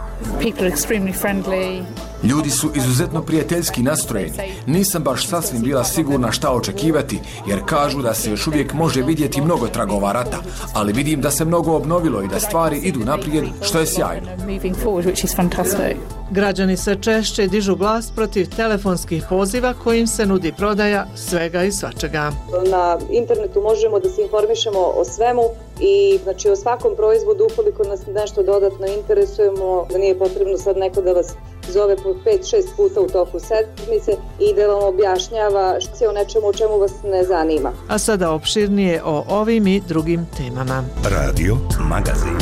Ljudi su izuzetno prijateljski nastrojeni. Nisam baš sasvim bila sigurna šta očekivati, jer kažu da se još uvijek može vidjeti mnogo tragova rata, ali vidim da se mnogo obnovilo i da stvari idu naprijed, što je sjajno. Građani se češće dižu glas protiv telefonskih poziva kojim se nudi prodaja svega i svačega. Na internetu možemo da se informišemo o svemu i znači o svakom proizvodu ukoliko nas nešto dodatno interesujemo, da nije potrebno sad neko da vas zove po 5-6 puta u toku sedmice i da vam objašnjava o nečemu o čemu vas ne zanima. A sada opširnije o ovim i drugim temama. Radio Magazin.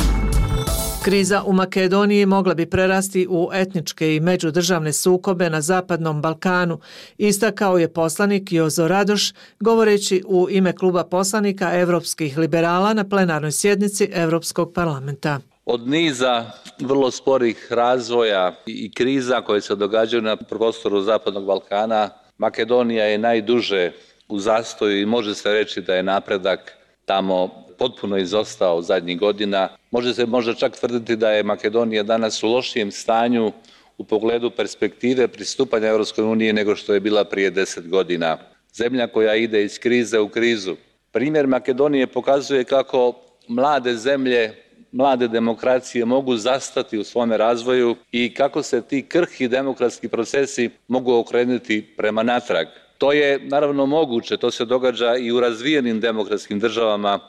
Kriza u Makedoniji mogla bi prerasti u etničke i međudržavne sukobe na Zapadnom Balkanu, istakao je poslanik Jozo Radoš, govoreći u ime kluba poslanika Evropskih liberala na plenarnoj sjednici Evropskog parlamenta. Od niza vrlo sporih razvoja i kriza koje se događaju na prostoru Zapadnog Balkana, Makedonija je najduže u zastoju i može se reći da je napredak tamo potpuno izostao zadnjih godina. Može se možda čak tvrditi da je Makedonija danas u lošijem stanju u pogledu perspektive pristupanja Europskoj uniji nego što je bila prije 10 godina. Zemlja koja ide iz krize u krizu. Primjer Makedonije pokazuje kako mlade zemlje, mlade demokracije mogu zastati u svome razvoju i kako se ti krhki demokratski procesi mogu okrenuti prema natrag. To je naravno moguće, to se događa i u razvijenim demokratskim državama,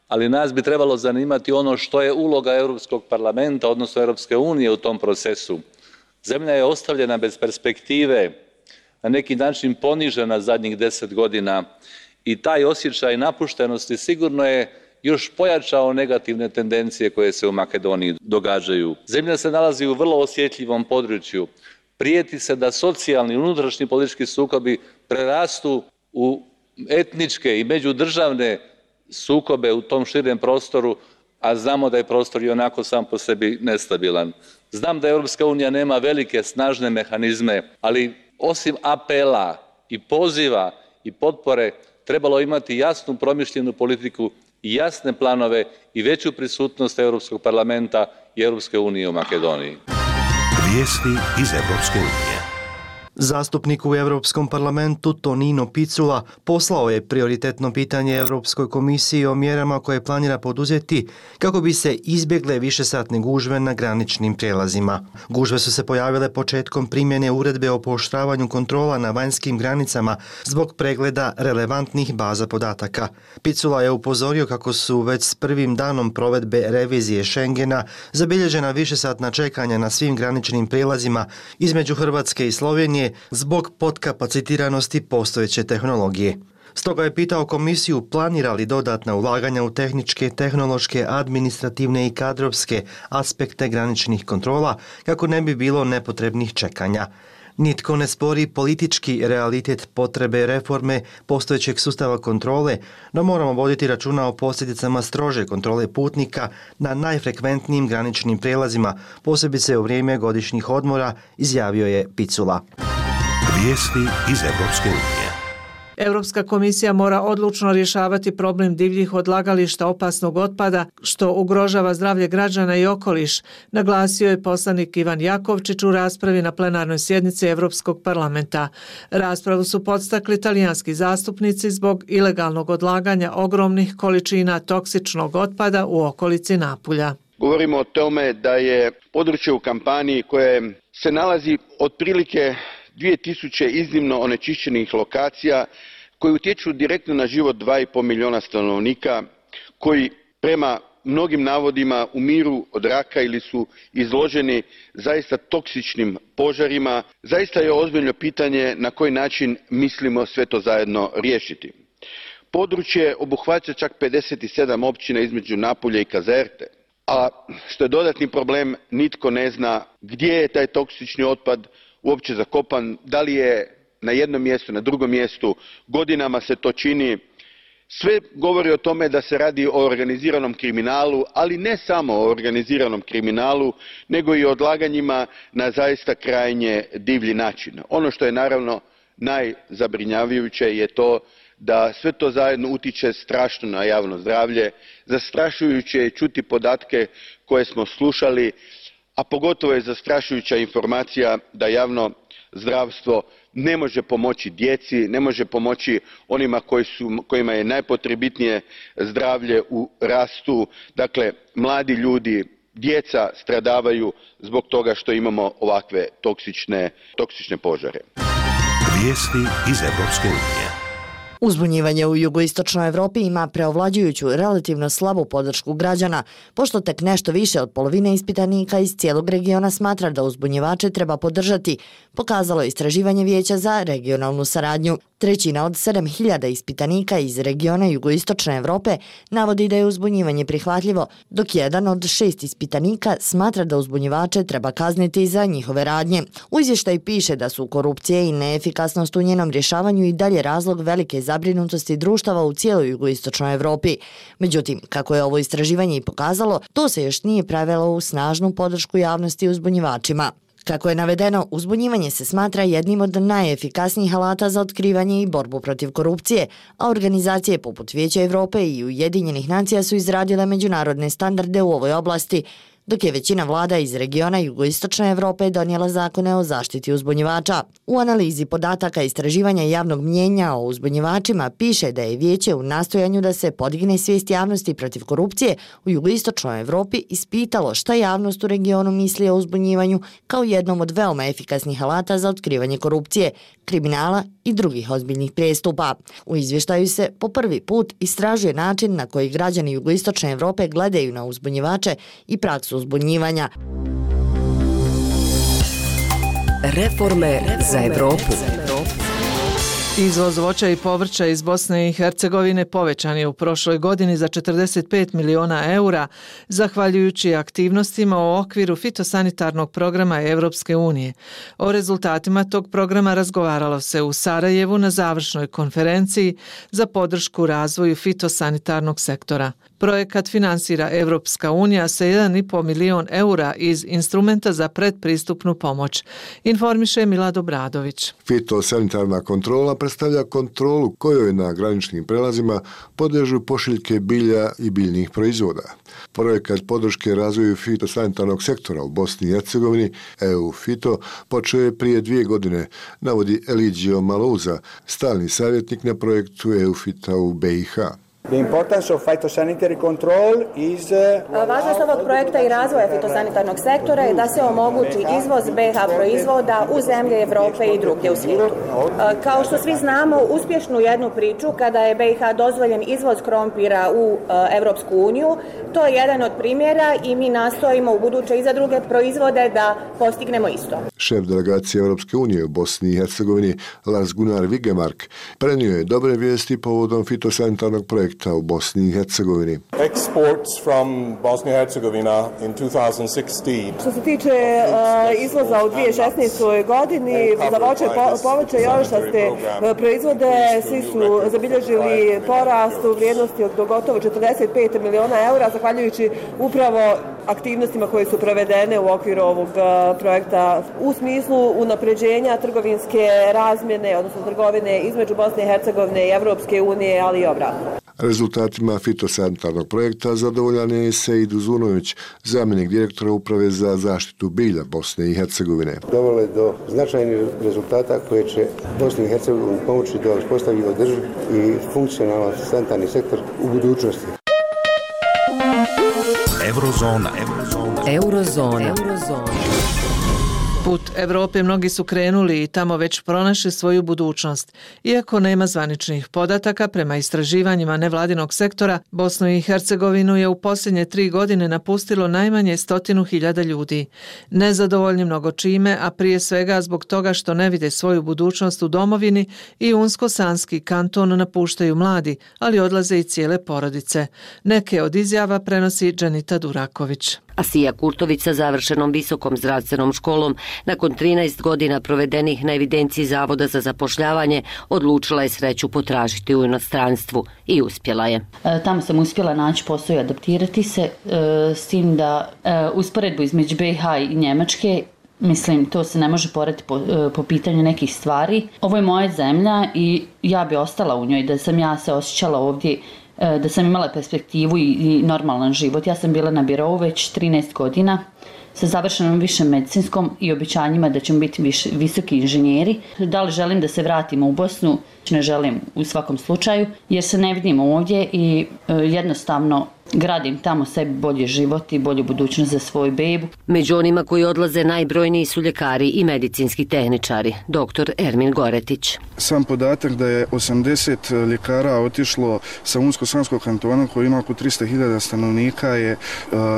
ali nas bi trebalo zanimati ono što je uloga Europskog parlamenta, odnosno Europske unije u tom procesu. Zemlja je ostavljena bez perspektive, na neki način ponižena zadnjih 10 godina i taj osjećaj napuštenosti sigurno je još pojačao negativne tendencije koje se u Makedoniji događaju. Zemlja se nalazi u vrlo osjetljivom području. Prijeti se da socijalni i unutrašnji politički sukobi prerastu u etničke i međudržavne sukobe u tom širem prostoru, a znamo da je prostor i onako sam po sebi nestabilan. Znam da Europska unija nema velike, snažne mehanizme, ali osim apela i poziva i potpore trebalo imati jasnu promišljenu politiku i jasne planove i veću prisutnost Europskog parlamenta i Europske unije u Makedoniji. Vijesti iz Europske unije. Zastupnik u Europskom parlamentu Tonino Picula poslao je prioritetno pitanje Europskoj komisiji o mjerama koje planira poduzeti kako bi se izbjegle višesatne gužve na graničnim prijelazima. Gužve su se pojavile početkom primjene uredbe o pooštravanju kontrola na vanjskim granicama zbog pregleda relevantnih baza podataka. Picula je upozorio kako su već s prvim danom provedbe revizije Schengena zabilježena višesatna čekanja na svim graničnim prijelazima između Hrvatske i Slovenije zbog podkapacitiranosti postojeće tehnologije. Stoga je pitao komisiju planira li dodatna ulaganja u tehničke, tehnološke, administrativne i kadrovske aspekte graničnih kontrola kako ne bi bilo nepotrebnih čekanja. Nitko ne spori politički realitet potrebe reforme postojećeg sustava kontrole, no moramo voditi računa o posljedicama strože kontrole putnika na najfrekventnijim graničnim prijelazima, posebice u vrijeme godišnjih odmora, izjavio je Picula. Vijesti iz Europske unije. Europska komisija mora odlučno rješavati problem divljih odlagališta opasnog otpada što ugrožava zdravlje građana i okoliš, naglasio je poslanik Ivan Jakovčić u raspravi na plenarnoj sjednici Europskog parlamenta. Raspravu su podstakli talijanski zastupnici zbog ilegalnog odlaganja ogromnih količina toksičnog otpada u okolici Napulja. Govorimo o tome da je područje u Kampaniji koje se nalazi otprilike 2000 iznimno onečišćenih lokacija koji utječu direktno na život 2,5 milijuna stanovnika, koji prema mnogim navodima umiru od raka ili su izloženi zaista toksičnim požarima. Zaista je ozbiljno pitanje na koji način mislimo sve to zajedno riješiti. Područje obuhvaća čak 57 općina između Napulja i Kazerte, a što je dodatni problem, nitko ne zna gdje je taj toksični otpad uopće zakopan, da li je na jednom mjestu, na drugom mjestu, godinama se to čini. Sve govori o tome da se radi o organiziranom kriminalu, ali ne samo o organiziranom kriminalu, nego i o odlaganjima na zaista krajnje divlji način. Ono što je naravno najzabrinjavajuće je to da sve to zajedno utiče strašno na javno zdravlje. Zastrašujuće je čuti podatke koje smo slušali, a pogotovo je zastrašujuća informacija da javno zdravstvo ne može pomoći djeci, ne može pomoći onima kojima je najpotrebitnije zdravlje u rastu. Dakle, mladi ljudi, djeca stradavaju zbog toga što imamo ovakve toksične požare. Vijesti iz Europske unije. Uzbunjivanje u jugoistočnoj Evropi ima preovlađujuću relativno slabu podršku građana, pošto tek nešto više od polovine ispitanika iz cijelog regiona smatra da uzbunjivače treba podržati, pokazalo je istraživanje Vijeća za regionalnu saradnju. Trećina od 7000 ispitanika iz regiona jugoistočne Evrope navodi da je uzbunjivanje prihvatljivo, dok jedan od 6 ispitanika smatra da uzbunjivače treba kazniti za njihove radnje. U izvještaju piše da su korupcije i neefikasnost u njenom rješavanju i dalje razlog velike zabrinutosti društava u cijeloj jugoistočnoj Evropi. Međutim, kako je ovo istraživanje i pokazalo, to se još nije prevelo u snažnu podršku javnosti uzbunjivačima. Kako je navedeno, uzbunjivanje se smatra jednim od najefikasnijih alata za otkrivanje i borbu protiv korupcije, a organizacije poput Vijeća Evrope i Ujedinjenih nacija su izradile međunarodne standarde u ovoj oblasti, dok je većina vlada iz regiona jugoistočne Evrope donijela zakone o zaštiti uzbunjivača. U analizi podataka istraživanja javnog mnjenja o uzbunjivačima piše da je Vijeće u nastojanju da se podigne svijest javnosti protiv korupcije u jugoistočnoj Evropi ispitalo šta javnost u regionu misli o uzbunjivanju kao jednom od veoma efikasnih alata za otkrivanje korupcije, kriminala i drugih ozbiljnih prijestupa. U izvještaju se po prvi put istražuje način na koji građani jugoistočne Evrope gledaju na uzbunjivače i praksu uzbunjivanja. Reforme za Evropu. Izvoz voća i povrća iz Bosne i Hercegovine povećan je u prošloj godini za 45 miliona eura, zahvaljujući aktivnostima u okviru fitosanitarnog programa Europske unije. O rezultatima tog programa razgovaralo se u Sarajevu na završnoj konferenciji za podršku razvoju fitosanitarnog sektora. Projekat finansira Evropska unija sa 1,5 milion eura iz instrumenta za predpristupnu pomoć, informiše Milad Obradović. Fitosanitarna kontrola predstavlja kontrolu kojoj na graničnim prelazima podliježu pošiljke bilja i biljnih proizvoda. Projekat podrške razvoju fitosanitarnog sektora u Bosni i Hercegovini, EU Fito, počeo je prije 2 godine, navodi Eligio Malouza, stalni savjetnik na projektu EU Fita u BiH. Važnost ovog projekta i razvoja fitosanitarnog sektora je da se omogući izvoz BiH proizvoda u zemlje Evrope i drugdje u svijetu. Kao što svi znamo, uspješnu jednu priču kada je BiH dozvoljen izvoz krompira u Evropsku uniju, to je jedan od primjera i mi nastojimo u buduće i za druge proizvode da postignemo isto. Šef delegacije Europske unije u Bosni i Hercegovini, Lars Gunnar Vigemark, prenio je dobre vijesti povodom fitosanitarnog projekta u Bosni i Hercegovini. Exports from Bosnia and Herzegovina in 2016. Što se tiče izvoza u 2016. godini, za voće povrće i orašaste proizvode, svi su zabilježili porast u vrijednosti od gotovo 45 miliona eura, zahvaljujući upravo aktivnostima koje su provedene u okviru ovog projekta u smislu unapređenja trgovinske razmjene, odnosno trgovine između Bosne i Hercegovine i Evropske unije, ali i obratno. Rezultatima fitosanitarnog projekta zadovoljan je Sejid Uzunović, zamjenik direktora Uprave za zaštitu bilja Bosne i Hercegovine. Dovelo je do značajnih rezultata koje će Bosni i Hercegovini pomoći da uspostavi održiv i funkcionalan sanitarni sektor u budućnosti. Eurozona. Put Evrope mnogi su krenuli i tamo već pronašli svoju budućnost. Iako nema zvaničnih podataka, prema istraživanjima nevladinog sektora, Bosnu i Hercegovinu je u posljednje 3 godine napustilo najmanje 100.000 ljudi. Nezadovoljni mnogo čime, a prije svega zbog toga što ne vide svoju budućnost u domovini i Unsko-Sanski kanton napuštaju mladi, ali odlaze i cijele porodice. Neke od izjava prenosi Dženita Duraković. Asija Kurtović sa završenom visokom zdravstvenom školom, nakon 13 godina provedenih na evidenciji Zavoda za zapošljavanje, odlučila je sreću potražiti u inostranstvu i uspjela je. Tamo sam uspjela naći posao i adaptirati se, s tim da usporedbu između BiH i Njemačke, mislim, to se ne može porediti po pitanju nekih stvari. Ovo je moja zemlja i ja bi ostala u njoj, da sam ja se osjećala ovdje, da sam imala perspektivu i normalan život. Ja sam bila na birou već 13 godina sa završenom višem medicinskom i obećanjima da ćemo biti visoki inženjeri. Da li želim da se vratimo u Bosnu? Ne želim u svakom slučaju, jer se ne vidim ovdje i jednostavno gradim tamo sebi bolji život i bolju budućnost za svoju bebu. Među onima koji odlaze najbrojniji su ljekari i medicinski tehničari, dr. Ermin Goretić. Sam podatak da je 80 ljekara otišlo sa Unsko-Sanskog kantona koji ima oko 300.000 stanovnika je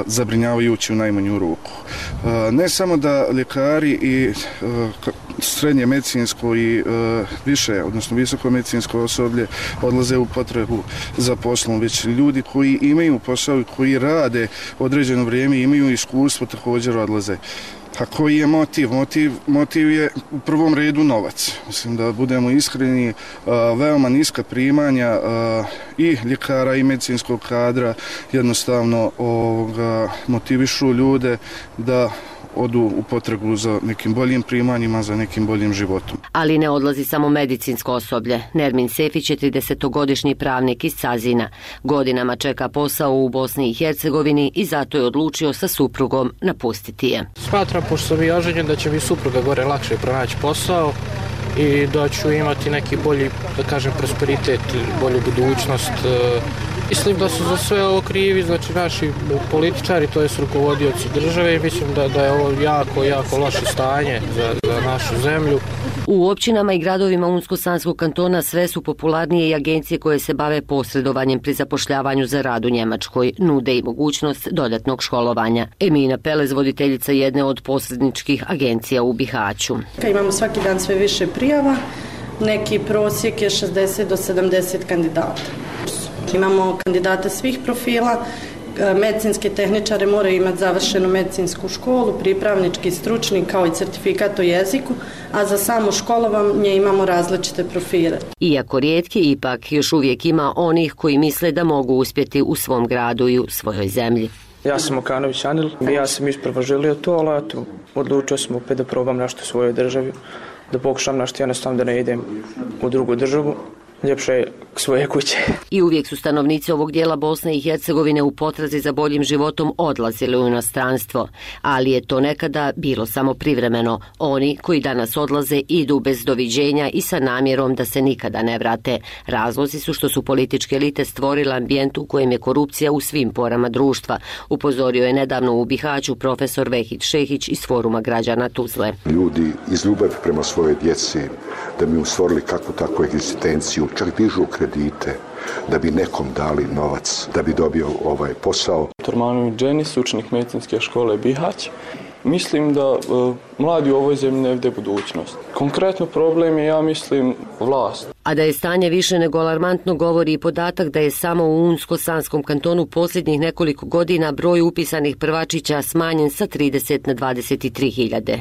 zabrinjavajući u najmanju ruku. Ne samo da ljekari i srednje medicinsko i više, odnosno visoko medicinsko osoblje odlaze u potrebu za poslom, već ljudi koji imaju posao i koji rade određeno vrijeme, imaju iskustvo, također odlaze. A koji je motiv? Motiv je u prvom redu novac. Mislim da budemo iskreni, veoma niska primanja i ljekara i medicinskog kadra jednostavno motivišu ljude da odu u potragu za nekim boljim primanjima, za nekim boljim životom. Ali ne odlazi samo medicinsko osoblje. Nermin Sefić je 30-godišnji pravnik iz Cazina. Godinama čeka posao u Bosni i Hercegovini i zato je odlučio sa suprugom napustiti je. Smatram, pošto sam i oženjen, da će mi supruga gore lakše pronaći posao i da ću imati neki bolji, da kažem, prosperitet, bolju budućnost. Mislim da su za sve ovo krivi, znači naši političari, to jest rukovodioci države i mislim da je ovo jako loše stanje za našu zemlju. U općinama i gradovima Unsko-Sanskog kantona sve su popularnije i agencije koje se bave posredovanjem pri zapošljavanju za rad u Njemačkoj, nude i mogućnost dodatnog školovanja. Emina Pelez, voditeljica jedne od posredničkih agencija u Bihaću. Imamo svaki dan sve više prijava, neki prosjek je 60 do 70 kandidata. Imamo kandidate svih profila, medicinske tehničare moraju imati završenu medicinsku školu, pripravnički, stručni kao i certifikat o jeziku, a za samo školovanje imamo različite profile. Iako rijetki, ipak još uvijek ima onih koji misle da mogu uspjeti u svom gradu i u svojoj zemlji. Ja sam Okanović Anil, ja sam isprva želio to, ali odlučio sam opet da probam nešto u svojoj državi, da pokušam nešto jednostavno da ne idem u drugu državu. Ljepše je k svoje kuće. I uvijek su stanovnici ovog dijela Bosne i Hercegovine u potrazi za boljim životom odlazili u inostranstvo, ali je to nekada bilo samo privremeno. Oni koji danas odlaze idu bez doviđenja i sa namjerom da se nikada ne vrate. Razlozi su što su političke elite stvorile ambijent u kojem je korupcija u svim porama društva, upozorio je nedavno u Bihaću profesor Vehid Šehić iz Foruma građana Tuzle. Ljudi iz ljubavi prema svojoj djeci, da bi mu stvorili kakvu takvu egzistenciju, čak dižu kredite da bi nekom dali novac, da bi dobio ovaj posao. Tormanović Dženis, učenik medicinske škole Bihać. Mislim da mladi u ovoj zemlji ne vide budućnost. Konkretno problem je, ja mislim, vlast. A da je stanje više nego alarmantno govori i podatak da je samo u Unsko-Sanskom kantonu posljednjih nekoliko godina broj upisanih prvačića smanjen sa 30 na 23.000.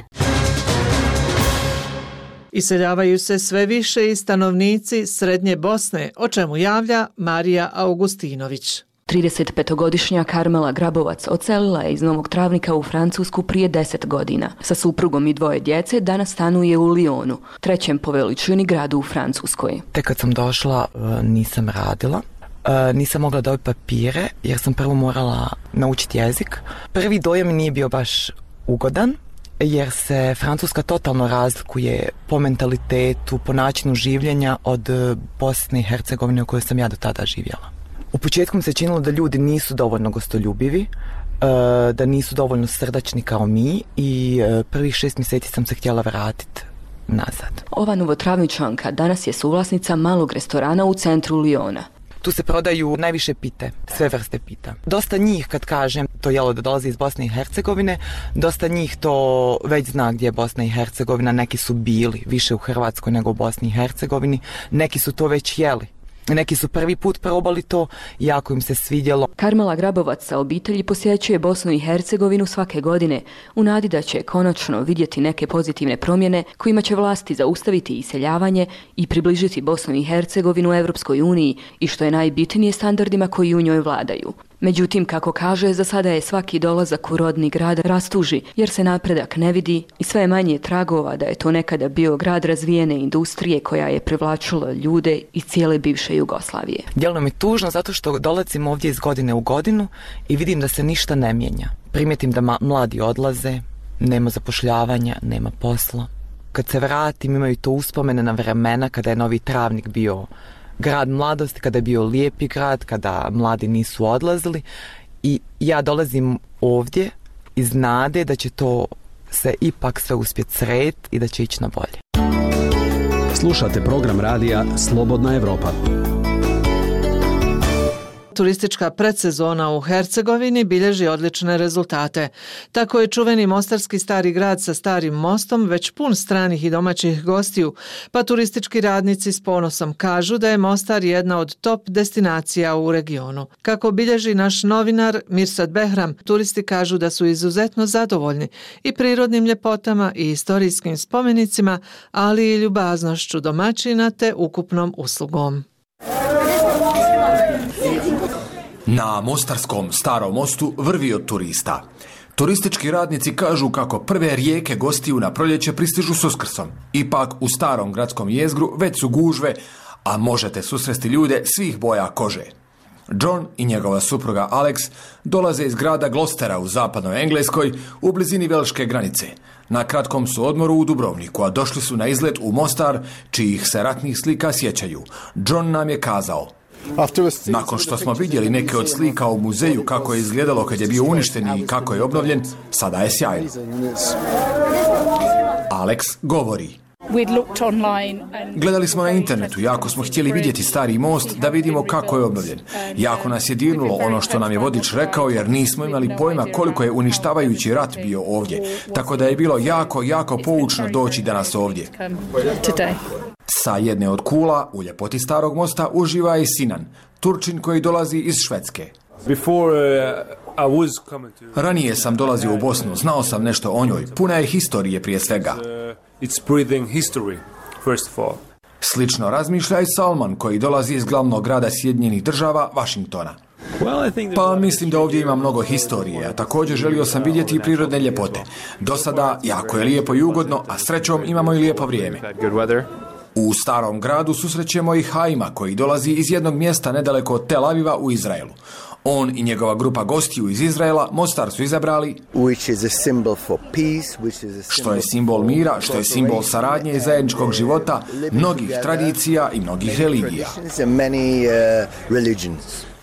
Iseljavaju se sve više i stanovnici Srednje Bosne, o čemu javlja Marija Augustinović. 35-godišnja Karmela Grabovac odselila je iz Novog Travnika u Francusku prije 10 godina. Sa suprugom i 2 djece danas stanuje u Lyonu, 3. po veličini gradu u Francuskoj. Tek kad sam došla nisam radila. Nisam mogla dobiti papire jer sam prvo morala naučiti jezik. Prvi dojam nije bio baš ugodan, jer se Francuska totalno razlikuje po mentalitetu, po načinu življenja od Bosne i Hercegovine u kojoj sam ja do tada živjela. U početku mi se činilo da ljudi nisu dovoljno gostoljubivi, da nisu dovoljno srdačni kao mi i prvih 6 mjeseci sam se htjela vratiti nazad. Ova Novotravničanka danas je suvlasnica malog restorana u centru Lyona. Tu se prodaju najviše pite, sve vrste pita. Dosta njih, kad kažem to jelo da dolazi iz Bosne i Hercegovine, dosta njih to već zna gdje je Bosna i Hercegovina. Neki su bili više u Hrvatskoj nego u Bosni i Hercegovini, neki su to već jeli. Neki su prvi put probali to i jako im se svidjelo. Karmela Grabovac sa obitelji posjećuje Bosnu i Hercegovinu svake godine u nadi da će konačno vidjeti neke pozitivne promjene kojima će vlasti zaustaviti iseljavanje i približiti Bosnu i Hercegovinu Europskoj uniji i što je najbitnije standardima koji u njoj vladaju. Međutim, kako kaže, za sada je svaki dolazak u rodni grad rastuži jer se napredak ne vidi i sve je manje tragova da je to nekada bio grad razvijene industrije koja je privlačila ljude iz cijele bivše Jugoslavije. Djeluje mi tužno zato što dolazim ovdje iz godine u godinu i vidim da se ništa ne mijenja. Primijetim da mladi odlaze, nema zapošljavanja, nema posla. Kad se vratim imaju to uspomene na vremena kada je Novi Travnik bio grad mladosti, kada je bio lijepi grad, kada mladi nisu odlazili i ja dolazim ovdje iz nade da će to se ipak sve uspjeti srediti i da će ići na bolje. Slušate program radija Slobodna Evropa. Turistička predsezona u Hercegovini bilježi odlične rezultate. Tako je čuveni mostarski stari grad sa starim mostom već pun stranih i domaćih gostiju, pa turistički radnici s ponosom kažu da je Mostar jedna od top destinacija u regionu. Kako bilježi naš novinar Mirsad Behram, turisti kažu da su izuzetno zadovoljni i prirodnim ljepotama i istorijskim spomenicima, ali i ljubaznošću domaćina te ukupnom uslugom. Na mostarskom starom mostu vrvi od turista. Turistički radnici kažu kako prve rijeke gostiju na proljeće pristižu s Uskrsom. Ipak u starom gradskom jezgru već su gužve, a možete susresti ljude svih boja kože. John i njegova supruga Alex dolaze iz grada Glostera u zapadnoj Engleskoj u blizini velške granice. Na kratkom su odmoru u Dubrovniku, a došli su na izlet u Mostar, čijih se ratnih slika sjećaju. John nam je kazao: nakon što smo vidjeli neke od slika u muzeju kako je izgledalo kad je bio uništen i kako je obnovljen, sada je sjajno. Alex govori: gledali smo na internetu, jako smo htjeli vidjeti stari most da vidimo kako je obnovljen. Jako nas je dirnulo ono što nam je vodič rekao jer nismo imali pojma koliko je uništavajući rat bio ovdje. Tako da je bilo jako poučno doći danas ovdje. Sa jedne od kula u ljepoti starog mosta uživa i Sinan, Turčin koji dolazi iz Švedske. Ranije sam dolazio u Bosnu, znao sam nešto o njoj, puna je historije prije svega. Slično razmišlja i Salman, koji dolazi iz glavnog grada Sjedinjenih Država, Washingtona. Pa mislim da ovdje ima mnogo historije, a također želio sam vidjeti i prirodne ljepote. Do sada jako je lijepo i ugodno, a srećom imamo i lijepo vrijeme. U starom gradu susrećemo i Haima, koji dolazi iz jednog mjesta nedaleko od Tel Aviva u Izraelu. On i njegova grupa gostiju iz Izraela Mostar su izabrali, što je simbol mira, što je simbol saradnje i zajedničkog života, mnogih tradicija i mnogih religija.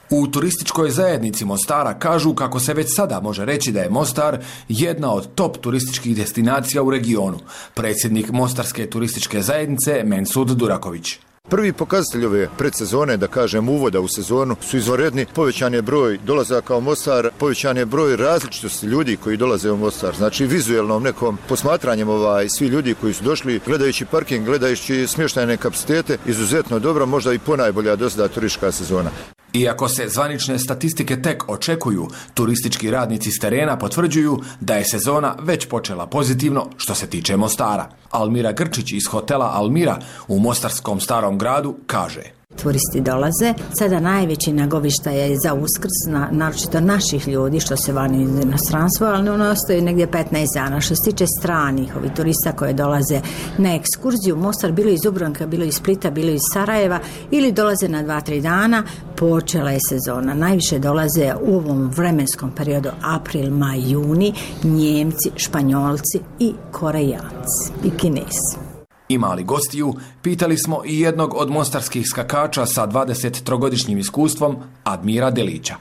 U turističkoj zajednici Mostara kažu kako se već sada može reći da je Mostar jedna od top turističkih destinacija u regionu. Predsjednik Mostarske turističke zajednice Mensud Duraković. Prvi pokazatelj ove predsezone, da kažem uvoda u sezonu, su izvanredni. Povećan je broj dolazaka u Mostar, povećan je broj različitosti ljudi koji dolaze u Mostar. Znači vizuelnom nekom posmatranjem svi ljudi koji su došli, gledajući parking, gledajući smještajne kapacitete, izuzetno dobro, možda i ponajbolja do sada turistička sezona. Iako se zvanične statistike tek očekuju, turistički radnici s terena potvrđuju da je sezona već počela pozitivno što se tiče Mostara. Almira Grčić iz hotela Almira u mostarskom starom gradu kaže: Turisti dolaze. Sada najveći nagovištaj je za Uskrs, naročito naših ljudi što se vani iz inostranstva, ali ono ostaje negdje 15 dana. Što se tiče stranih ovih turista koje dolaze na ekskurziju, Mostar bilo iz Dubrovnika, bilo iz Splita, bilo iz Sarajeva ili dolaze na 2-3 dana, počela je sezona. Najviše dolaze u ovom vremenskom periodu april, maj, juni, Njemci, Španjolci i Korejanci i Kinezi. Ima li gostiju? Pitali smo i jednog od mostarskih skakača sa 23-godišnjim iskustvom, Admira Delića.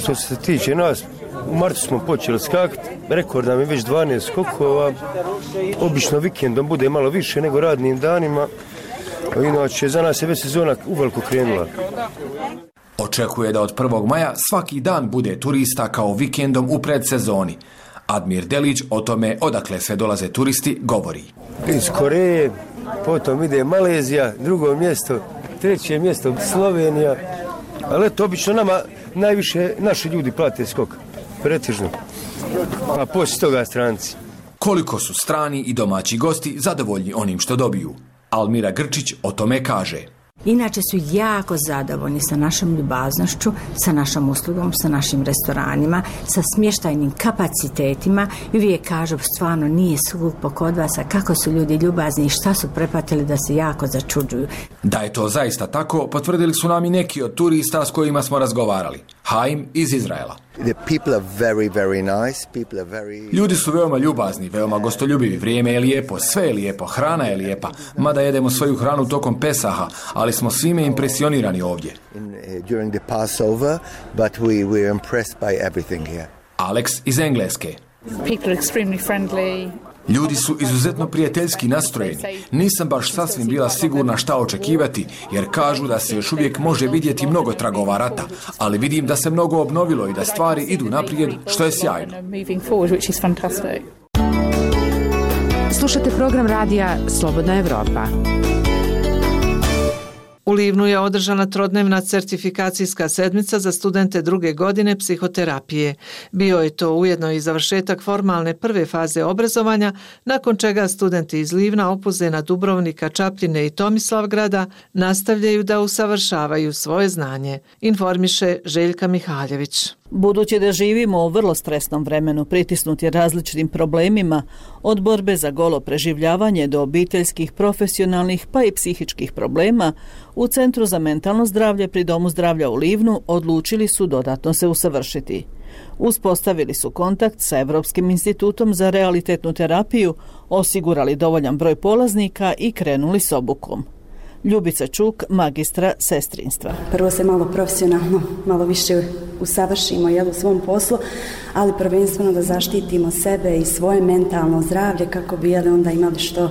Što se tiče nas, u martu smo počeli skakati, rekord nam je već 12 skokova, obično vikendom bude malo više nego radnim danima, inače za nas je već sezona uveliko krenula. Očekuje da od 1. maja svaki dan bude turista kao vikendom u predsezoni. Admir Delić o tome odakle sve dolaze turisti govori. Iz Koreje, potom ide Malezija, drugo mjesto, treće mjesto Slovenija, ali eto, obično nama najviše naši ljudi plate skok, pretežno, a poslije toga stranci. Koliko su strani i domaći gosti zadovoljni onim što dobiju? Almira Grčić o tome kaže: Inače su jako zadovoljni sa našom ljubaznošću, sa našom uslugom, sa našim restoranima, sa smještajnim kapacitetima i uvijek kažu stvarno nije skupo kod vas, a kako su ljudi ljubazni i šta su prepatili da se jako začuđuju. Da je to zaista tako, potvrdili su nam i neki od turista s kojima smo razgovarali. Haim iz Izraela. Ljudi su veoma ljubazni, veoma gostoljubivi, vrijeme je lijepo, sve je lijepo, hrana je lijepa, mada jedemo svoju hranu tokom Pesaha, ali smo svime impresionirani ovdje. Alex iz Engleske. Ljudi su izuzetno prijateljski nastrojeni. Nisam baš sasvim bila sigurna šta očekivati, jer kažu da se još uvijek može vidjeti mnogo tragova rata, ali vidim da se mnogo obnovilo i da stvari idu naprijed, što je sjajno. Slušate program radija Slobodna Evropa. U Livnu je održana trodnevna certifikacijska sedmica za studente druge godine psihoterapije. Bio je to ujedno i završetak formalne prve faze obrazovanja, nakon čega studenti iz Livna, Opuzena, Dubrovnika, Čapljine i Tomislavgrada nastavljaju da usavršavaju svoje znanje, informiše Željka Mihaljević. Budući da živimo u vrlo stresnom vremenu, pritisnuti različitim problemima, od borbe za golo preživljavanje do obiteljskih, profesionalnih pa i psihičkih problema, u Centru za mentalno zdravlje pri Domu zdravlja u Livnu odlučili su dodatno se usavršiti. Uspostavili su kontakt sa Evropskim institutom za realitetnu terapiju, osigurali dovoljan broj polaznika i krenuli s obukom. Ljubica Čuk, magistra sestrinstva. Prvo se malo profesionalno, malo više usavršimo u svom poslu, ali prvenstveno da zaštitimo sebe i svoje mentalno zdravlje kako bi onda imali što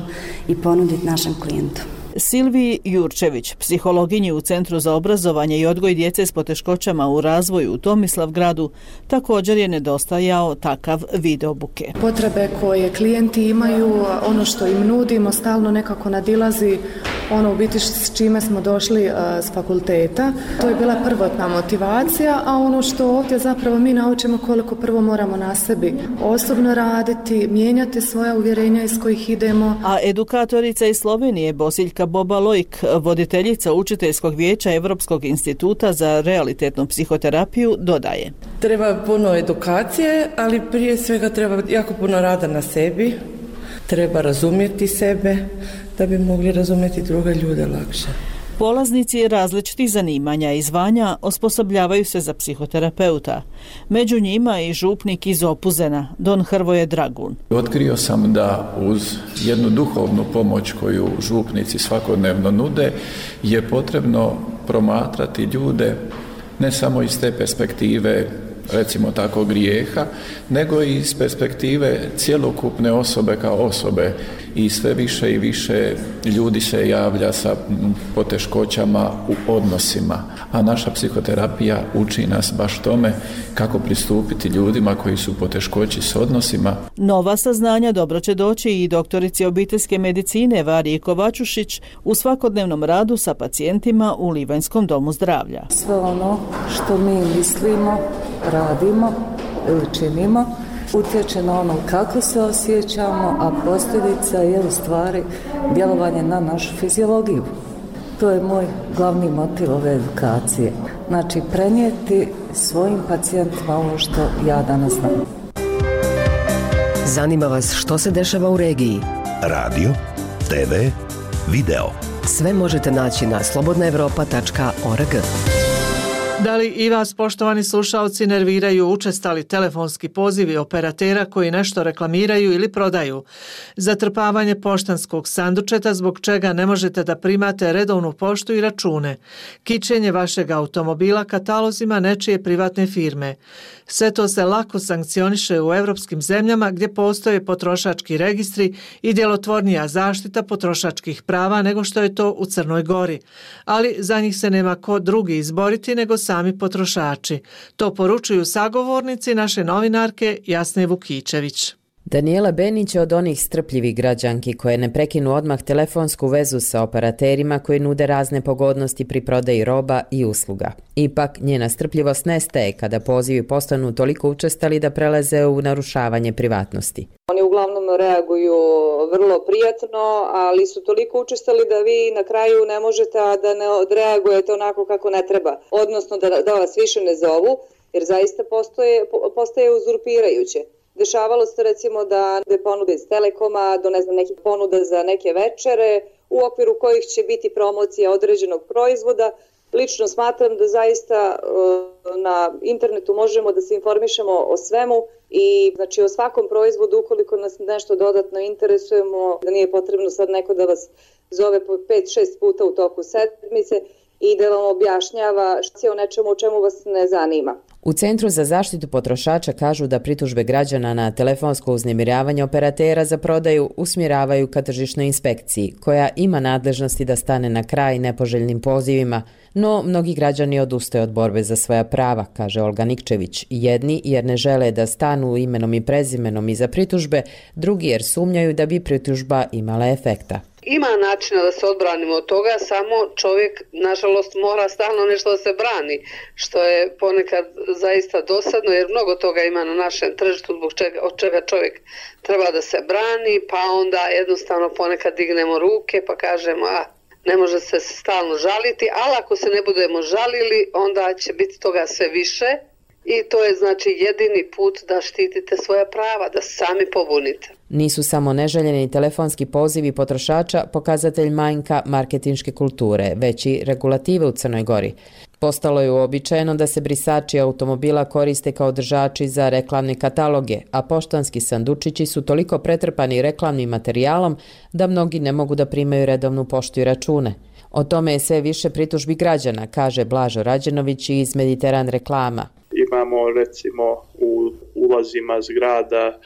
i ponuditi našem klijentu. Silviji Jurčević, psihologinji u Centru za obrazovanje i odgoj djece s poteškoćama u razvoju u Tomislavgradu, također je nedostajao takav vid obuke. Potrebe koje klijenti imaju, ono što im nudimo stalno nekako nadilazi ono u biti s čime smo došli s fakulteta. To je bila prvotna motivacija, a ono što ovdje zapravo mi naučimo koliko prvo moramo na sebi osobno raditi, mijenjati svoja uvjerenja iz kojih idemo. A edukatorica iz Slovenije Bosiljka Boba-Lojk, voditeljica učiteljskog vijeća Europskog instituta za realitetnu psihoterapiju, dodaje. Treba puno edukacije, ali prije svega treba jako puno rada na sebi. Treba razumjeti sebe da bi mogli razumjeti druge ljude lakše. Polaznici različitih zanimanja i zvanja osposobljavaju se za psihoterapeuta. Među njima i župnik iz Opuzena, don Hrvoje Dragun. Otkrio sam da uz jednu duhovnu pomoć koju župnici svakodnevno nude je potrebno promatrati ljude ne samo iz te perspektive, recimo tako, grijeha, nego i iz perspektive cjelokupne osobe kao osobe, i sve više i više ljudi se javlja sa poteškoćama u odnosima, a naša psihoterapija uči nas baš tome kako pristupiti ljudima koji su u poteškoći s odnosima. Nova saznanja dobro će doći i doktorici obiteljske medicine Variji Kovačušić u svakodnevnom radu sa pacijentima u Livanjskom domu zdravlja. Sve ono što mi mislimo, radimo ili činimo utječe na ono kako se osjećamo, a posljedica je u stvari djelovanje na našu fiziologiju. To je moj glavni motiv ove edukacije. Znači, prenijeti svojim pacijentima ovo što ja danas znam. Zanima vas što se dešava u regiji? Radio, TV, video. Sve možete naći na slobodnaevropa.org. Da li i vas, poštovani slušalci, nerviraju učestali telefonski pozivi operatera koji nešto reklamiraju ili prodaju? Zatrpavanje poštanskog sandučeta zbog čega ne možete da primate redovnu poštu i račune. Kićenje vašeg automobila katalozima nečije privatne firme. Sve to se lako sankcioniše u evropskim zemljama gdje postoje potrošački registri i djelotvornija zaštita potrošačkih prava nego što je to u Crnoj Gori. Ali za njih se nema ko drugi izboriti nego sami potrošači. To poručuju sagovornici naše novinarke Jasne Vukičević. Daniela Benić je od onih strpljivih građanki koje ne prekinu odmah telefonsku vezu sa operaterima koji nude razne pogodnosti pri prodaji roba i usluga. Ipak, njena strpljivost nestaje kada pozivi postanu toliko učestali da prelaze u narušavanje privatnosti. Oni uglavnom reaguju vrlo prijatno, ali su toliko učestali da vi na kraju ne možete da ne odreagujete onako kako ne treba. Odnosno da vas više ne zovu, jer zaista postaje uzurpirajuće. Dešavalo se recimo da ponude iz Telekoma, do nekih ponuda za neke večere u okviru kojih će biti promocija određenog proizvoda. Lično smatram da zaista na internetu možemo da se informišemo o svemu i znači o svakom proizvodu ukoliko nas nešto dodatno interesujemo, da nije potrebno sad neko da vas zove po 5-6 puta u toku sedmice i da vam objašnjava o nečemu o čemu vas ne zanima. U Centru za zaštitu potrošača kažu da pritužbe građana na telefonsko uznemiravanje operatera za prodaju usmjeravaju ka tržišnoj inspekciji, koja ima nadležnosti da stane na kraj nepoželjnim pozivima, no mnogi građani odustaju od borbe za svoja prava, kaže Olga Nikčević. Jedni jer ne žele da stanu imenom i prezimenom iza pritužbe, drugi jer sumnjaju da bi pritužba imala efekta. Ima načina da se odbranimo od toga, samo čovjek, nažalost, mora stalno nešto da se brani, što je ponekad zaista dosadno, jer mnogo toga ima na našem tržištu od čega čovjek treba da se brani, pa onda jednostavno ponekad dignemo ruke pa kažemo, ne može se stalno žaliti, ali ako se ne budemo žalili, onda će biti toga sve više. I to je znači jedini put da štitite svoja prava, da sami pobunite. Nisu samo neželjeni telefonski pozivi potrošača pokazatelj manjka marketinške kulture, već i regulative u Crnoj Gori. Postalo je uobičajeno da se brisači automobila koriste kao držači za reklamne kataloge, a poštanski sandučići su toliko pretrpani reklamnim materijalom da mnogi ne mogu da primaju redovnu poštu i račune. O tome je sve više pritužbi građana, kaže Blažo Rađenović iz Mediteran reklama. Imamo recimo u ulazima zgrada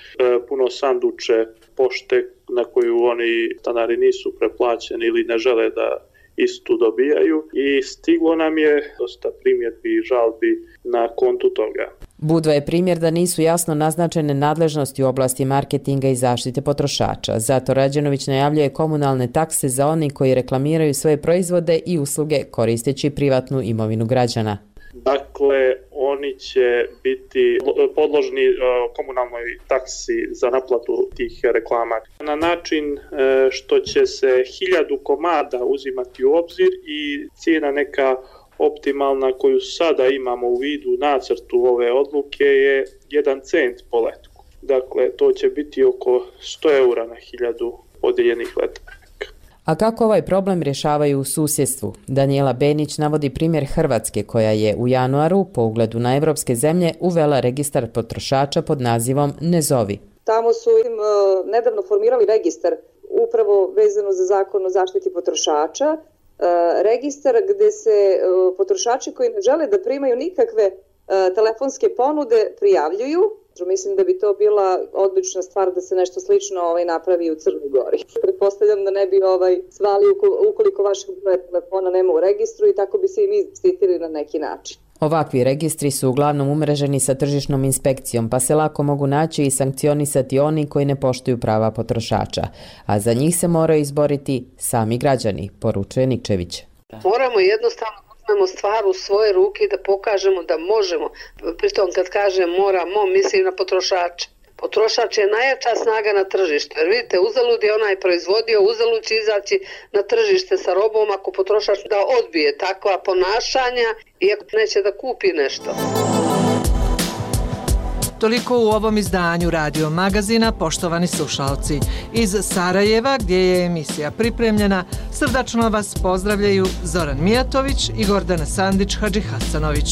puno sanduče pošte na koju oni stanari nisu preplaćeni ili ne žele da istu dobijaju i stiglo nam je dosta primjedbi i žalbi na kontu toga. Budva je primjer da nisu jasno naznačene nadležnosti u oblasti marketinga i zaštite potrošača. Zato Rađenović najavljuje komunalne takse za oni koji reklamiraju svoje proizvode i usluge koristeći privatnu imovinu građana. Dakle, oni će biti podložni komunalnoj taksi za naplatu tih reklama na način što će se 1000 komada uzimati u obzir i cijena neka optimalna koju sada imamo u vidu nacrtu ove odluke je 1 cent po letku. Dakle, to će biti oko 100 eura na 1000 podijeljenih letaka. A kako ovaj problem rješavaju u susjedstvu? Daniela Benić navodi primjer Hrvatske koja je u januaru po ugledu na evropske zemlje uvela registar potrošača pod nazivom Ne zovi. Tamo su nedavno formirali registar upravo vezano za zakon o zaštiti potrošača. Registar gdje se potrošači koji ne žele da primaju nikakve telefonske ponude prijavljuju. Mislim da bi to bila odlična stvar da se nešto slično napravi u Crnoj Gori. Pretpostavljam da ne bi svali ukoliko vašeg broja telefona nema u registru i tako bi se i mi zaštitili na neki način. Ovakvi registri su uglavnom umreženi sa tržišnom inspekcijom, pa se lako mogu naći i sankcionisati oni koji ne poštuju prava potrošača. A za njih se moraju izboriti sami građani, poručuje Nikčević. Moramo jednostavno uzmemo stvar u svoje ruke i da pokažemo da možemo. Pritom kad kažem moramo, mislim na potrošača. Potrošač je najjača snaga na tržištu. Jer vidite, uzalud je onaj proizvodio, uzalud će izaći na tržište sa robom ako potrošač da odbije takva ponašanja i ako neće da kupi nešto. Toliko u ovom izdanju Radio Magazina, poštovani slušalci. Iz Sarajeva, gdje je emisija pripremljena, srdačno vas pozdravljaju Zoran Mijatović i Gordana Sandić-Hadžihasanović.